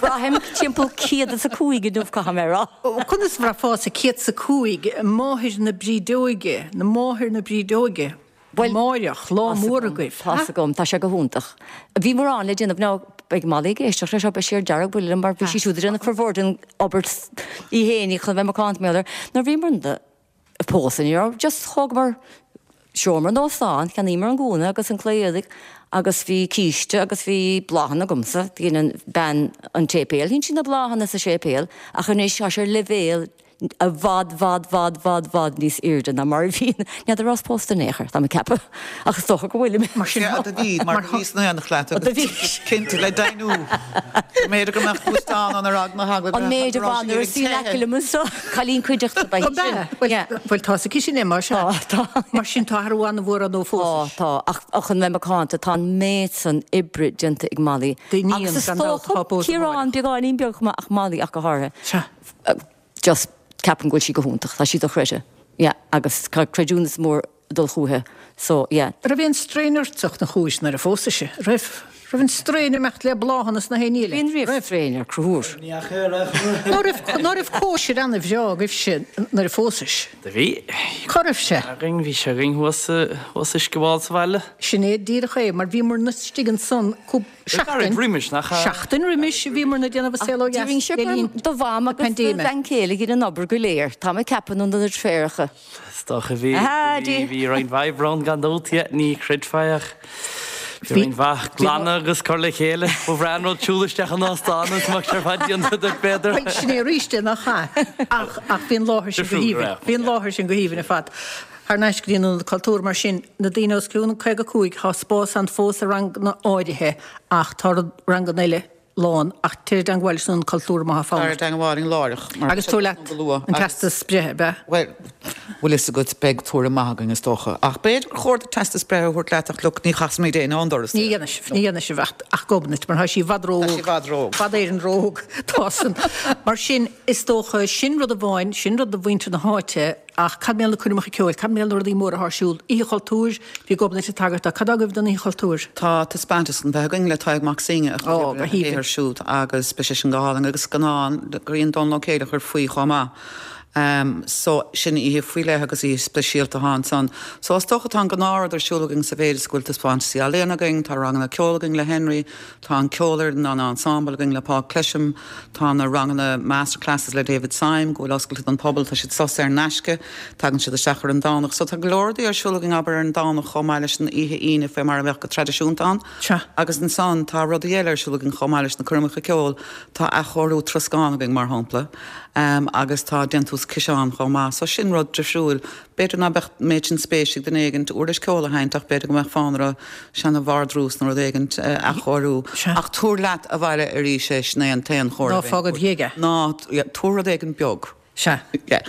Braithim timpeall 105 inniu, caithfidh mé a rá. Conas a bhraithfeása 105, máthair na brídeoige, na máthair na brídeoige? Bhuel, Amáireach, lá mór agaibh. Tá's agam, tá sé go hiontach. Bhí mórán le déanamh now beidh Molly ag éisteacht leis seo, beidh sí ar dearg-bhuile liom mar bhí sí siúd ag déanamh formhór den obair í fhéinig chun a bheith macánta mar gheall air. Nuair bhíomar ag pósadh ní raibh, just thógamar seomra in óstán, cheannaíomar an gúna agus an claí éadaigh agus bhí císte agus bhí bláthanna agamsa, dhein an bean an tséipéil, dhein sí na bláthanna sa séipéal ach anois tá sé ar leibhéal i bhfad, bhfad, bhfad, bhfad, bhfad níos airde ná mar a bhí. N'fheadar an rabhas pósta in aon chor, tá mé ag ceapadh, ach is dócha go bhfuilim. Mar sin, Sea, do bhí, mar do bhí san aonach leat agus cinnte le deimhniú go mb'fhéidir go mbeadh gluaisteán ann ar eagla na heagla An méid a go raibh bhain nuair a sí in aice liom anseo, cailín cuideachta ba An ea? sin. Bhuel, tá's aici sin é, mar sea. Tá, tá. Mar sin, tá athrú an-mhór ann ó phósais. Tá, tá, ach chun bheith macánta, tá an méid san oibre déanta ag Molly. D'iníon, Agus is gan dabht, dócha atá pósta Ciarán amárach. beagáinín beag chomh maith ach Molly ach go háirithe. Sea. Just ceapaim go bhfuil sí go hiontach, tá sí dochreidte, yeah, agus tá creidiúnas mór ag dul chúithi, so yeah. Raibh aon straidhn ortsa ina chúis nuair a phósais í? Raibh? Raibh an stroighin ag imeacht le bláthanna is na haon ní eile? Bíonn riamh stroighin ar Conchúr. Ná raibh, ná raibh cóisir ana-bhreá agaibhse nuair a phósais? Do bhí. Cá raibh sé? Againn, bhí sé againn thuas, thuas i Uisce Mhall sa bhaile. Sin é díreach é, mar bhíomarna istigh ansan cúpla seachtain, Gairid roimis, nach ea? Seachtain roimis bhíomarna ag déanamh an saol ó dheas le linn Do mham na agus do paindéime. bhean chéile a dhein an obair go léir, tá mé ag ceapadh, nó na deirféaracha. Is dócha bhí, bhí, bhí roinnt mhaith oibre ann gan dabht, yeah, ní chreidfeá é ach bhí roinnt mhaith glanadh agus cur le chéile. Ba bhreá an rud siúl isteach in óstán agus mbeadh sé ar fad déanta duit b'fhéidir. Bhuel, sin é arís é, nach ea? Ach, ach bhí an láthair sin go haoibhinn, bhí an láthair sin go haoibhinn ar fad. Thar n-ais go dtí an Ionad Cultúir mar sin, na daoine os cionn 55, tá spás ann fós i ranganna áirithe ach tá ranganna eile lán, ach téir i dteangmháil leis an Ionad Cultúir má tá fonn Tar i ort. dteangmháil linn láithreach, mar Agus tabhair leat go luath an teastas breithe, ab ea? Bhuel, bhfuil fhios agat, beidh tuairim maith againn, is dócha. Ach b'fhéidir gur chóir duit teastas breithe a thabhairt leat ach look, ní chasfaimid éinne ón doras Ní dhéanfaidh sibh, ní dhéanfaidh sibh ach, ach Gobnait, mar tá sí i bhfad ró-óg. Tá sí i bhfad ró-óg. Fad Éireann ró-óg, tá san. Mar sin, is dócha, sin rud amháin, sin rud do mhuintir na háite, Ach cad mar gheall ar na coirmeacha ceoil? Cad mar gheall ar na rudaí móra atá ar siúl? Oíche Chultúir, bhí Gobnait ag tagairt dó. Cad agaibh don Oíche Chultúir? Tá taispeántas chun bheith againn le Tadhg Mac Suibhne a chuid oibre a shaothar siúd agus beidh sé sin go hálainn agus scannán grinn Dónal Ó Céileachair faoi chomh maith. So sin oíche faoi leith agus oíche speisialta atá ansan. So is dócha tá an gnáthrud ar siúl againn sa mhéid is go bhfuil taispeántaisí ealaíon againn, tá ranganna ceoil againn le Henry, Tá an ceolfhoireann, an ensemble againn le Paul Clesham, tá na ranganna masterclasses le David Syme go bhfuil oscailte don phobal, tá siad saor in aisce, tagann siad isteach ar an Domhnach. So tá go leor rudaí ar siúl againn abair ar an Domhnach chomh maith leis an oíche Aoine fé mar a bheadh go traidisiúnta ann. Agus ansan tá rudaí eile ar siúl againn chomh maith leis na coirmeacha ceoil, tá athchóiriú troscán againn mar shampla agus tá déantús ciseán chomh maith. So sin rud difriúil. B'fhéidir ná beadh an méid sin spéis ag duine éigint uirlis ceoil a sheinnt ach b'fhéidir go mbeadh fonn orthu seana-vardrús nó rud éigint a athchóiriú. Ach tabhair leat abhaile arís é, sin é an t-aon chomhairle Ná fág id dhiaidh é. Ná, tabhair rud éigin beag. Sea.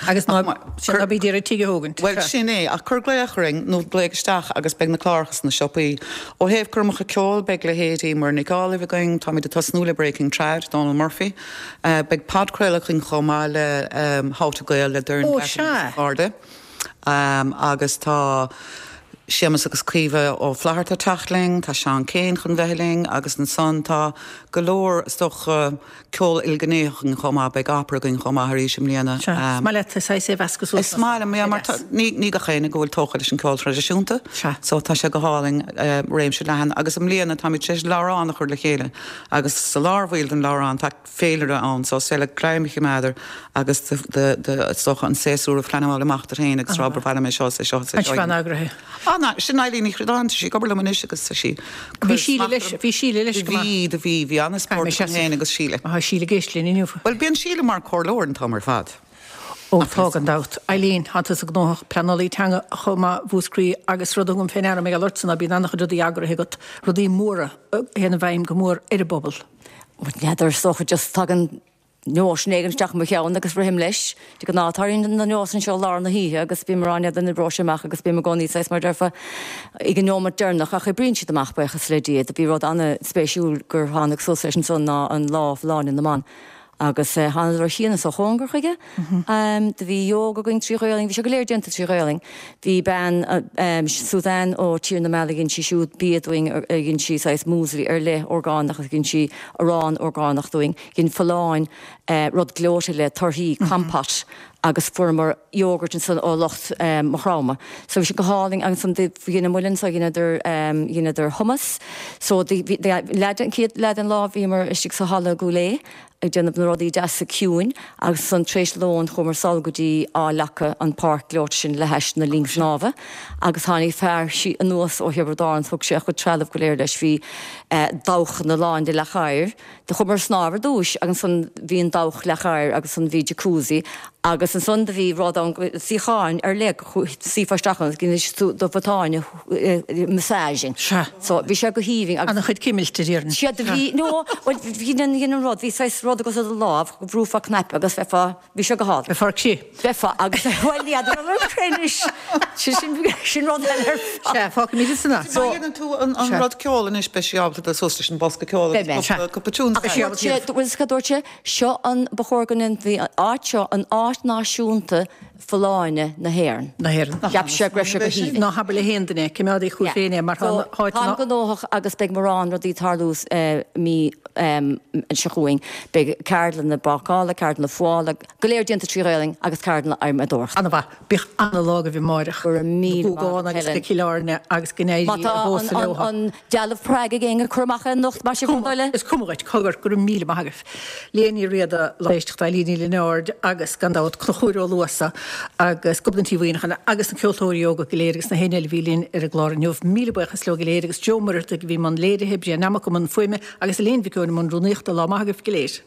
Agus ná, sea, ná bí d'iarraidh tigh a thógaint. Bhuel, sin é. Ach cuir glaoch orainn nó glaoigh isteach agus beidh na cláracha sna siopaí. Ó thaobh coirmeacha ceoil, beidh leithéidí Muireann Nic Amhlaoibh againn, táimid ag tosnú le Breaking Trad, Dónal Murphy. Beidh podchraoladh againn chomh maith le How to Gael le Doireann Ó, Grattan agus sea. a cairde. Agus tá Séamus agus Caoimhe Ó Flatharta ag teacht linn, tá Seán Kyne chun bheith linn agus ansan tá go leor, is dócha, ceol ilghnéitheach againn chomh maith, beidh opera againn chomh maith arís i mbliana. Sea, is maith leat saghas é a mheascadh suas. Is maith liom, yeah, mar tá, ní, ní gach éinne go bhfuil tógtha leis an ceol traidisiúnta, Sea. so tá sé go hálainn, réimse leathan agus i mbliana táimid tar éis leabhrán a chur le chéile Agus sa lár bhaill den leabhrán tá féilire ann so is féidir leat greim a choimeád air agus do, do, do, is dócha an séasúr a phleanáil amach duit féin agus rá ba mhaith liom é seo is é seo is é An seo. bhean eagraithe. Á ná, sin Eileen Ní Chríodáin, tá sí ag obair liom anois agus tá sí Bhí Síle leis, bhí Síle leis go maith. Bhí, do bhí, bhí an-spórt Caithfidh mé agam féin agus Síle. Tá Síle ag éisteacht linn inniu. Bhuel, bíonn Síle mar comhairleoir an t-am ar fad. Ó tá, gan dabht. Eileen, tá tusa gnóthach, pleanálaí teanga chomh maith Mhúscraí agus rud a thugaim fé ndeara mar gheall ortsa ná bíonn an-chuid rudaí eagraithe agat, rudaí móra a théann i bhfeidhm go mór ar an bpobal. Bhuel, n'fheadar, is dócha just tagann nóisean éigin isteach i mo cheann agus rithim leis. De ghnáth tarlaíonn na nósanna seo i lár na hoíche agus bím ag rá n'fheadar an oibreoidh sé amach agus bím i gcónaí saghas mar a déarfá ag an neomat deireanach ach oibríonn siad amach buíochas le Dia. Do bhí rud an-spéisiúil gur tháinig suas leis ansan ná an Lá Folláine na mBan. Agus thánadar ó chian is ó chóngar chuige. Do bhí ióga againn trí Ghaolainn, bhí sé go léir déanta trí Ghaolainn. Bhí bean, Suzanne ó Tír na Meala, dhein sí siúd bia dúinn, dhein sí saghas muesli ar leith orgánach agus dhein sí arán orgánach dúinn. Dhein Folláin rud gleoite le torthaí, compote, agus fuaireamar yogurt ansan ó lucht Maigh Chromtha. So bhí sé go hálainn agus ansan dhein an muileann so dheineadar dheineadar hummus. So bhí leath den chéad leath den lá bhíomar istigh sa halla Gúil Aodha ag déanamh na rudaí deasa ciúin agus ansan tar éis lóin chuamar sall go dtí Áth Leaca an páirc gleoite sin le hais na linn snámha agus tháinig fear anuas ó Thiobraid Árann thug sé a chuid trealamh go léir leis bhí dabhchanna lán de leac oighir Do chuamar ag snámh ar dtúis agus ansan bhí an dabhach leac oighir agus ansan bhí jacuzzi agus ansan do bhí rud ann, suíocháin ar leith go suífeá isteach ann agus dhein do bhotáin a massaging. Sea. So bhí sé go haoibhinn agus. Ana chuid cimilte, déarfainn. Sea, do bhí, no, bhuel bhí an, dhein an rud, bhí saghas rud agat i do lámh go mbrúfá cnaipe agus bheifeá, Bhí sé go hálainn. Bheifeá ar crith. Bheifeá agus, bhuel ní fheadar an raibh crith anois. Sin, sin rud eile ar fad. Sea, fágfaimid ansan é. Má dhéanann tú an rud ceoil anois beidh sí ábalta dul suas leis an bosca ceoil agus cúpla, cúpla tune a Ach dúirt sé, bhuel is cad dúirt sé, seo an, ba chóir go ndéanfaí an áit seo an áit náisiúnta. Folláine na hÉireann. Na hÉireann. Cheap sé go raibh sé go haoibhinn. Ná habair le haon duine, coimeád chugat féin é mar tá na háiteanna. Táim gnóthach agus beidh mórán rudaí ag tarlú mí seo chugainn. Beidh ceardlanna bácála, ceardlanna fuála, go léir déanta trí Ghaelainn agus ceardlanna adhmadóireachta. Ana-mhaith. Bíodh ana-lá agaibh amáireach. Go raibh míle maith agat, Helen. agus go Cill Airne agus go n-éirí Má tá i bpósadh leo. an dealbh Prague ag éinne, cuir amach é anocht, más é bhur dtoil. Is cuma dhuit, cogar, go raibh míle maith agaibh. Léa Ní Riada, lucht éisteachta Eilín Ní Lionáird agus, gan dabht, Conchúr Ó Luasa agus Gobnait Uí Mhuimhneacháin agus na ceoltóirí óga go léir agus na héinne eile a bhí linn ar an gclár inniu. Míle buíochas leo go léir agus Joe Muireadhaigh a bhí i mbun léirithe, Brian Nammock i mbun fuaime agus Elaine Mhic Eoin i mbun rúnaíochta. Lá maith agaibh go léir.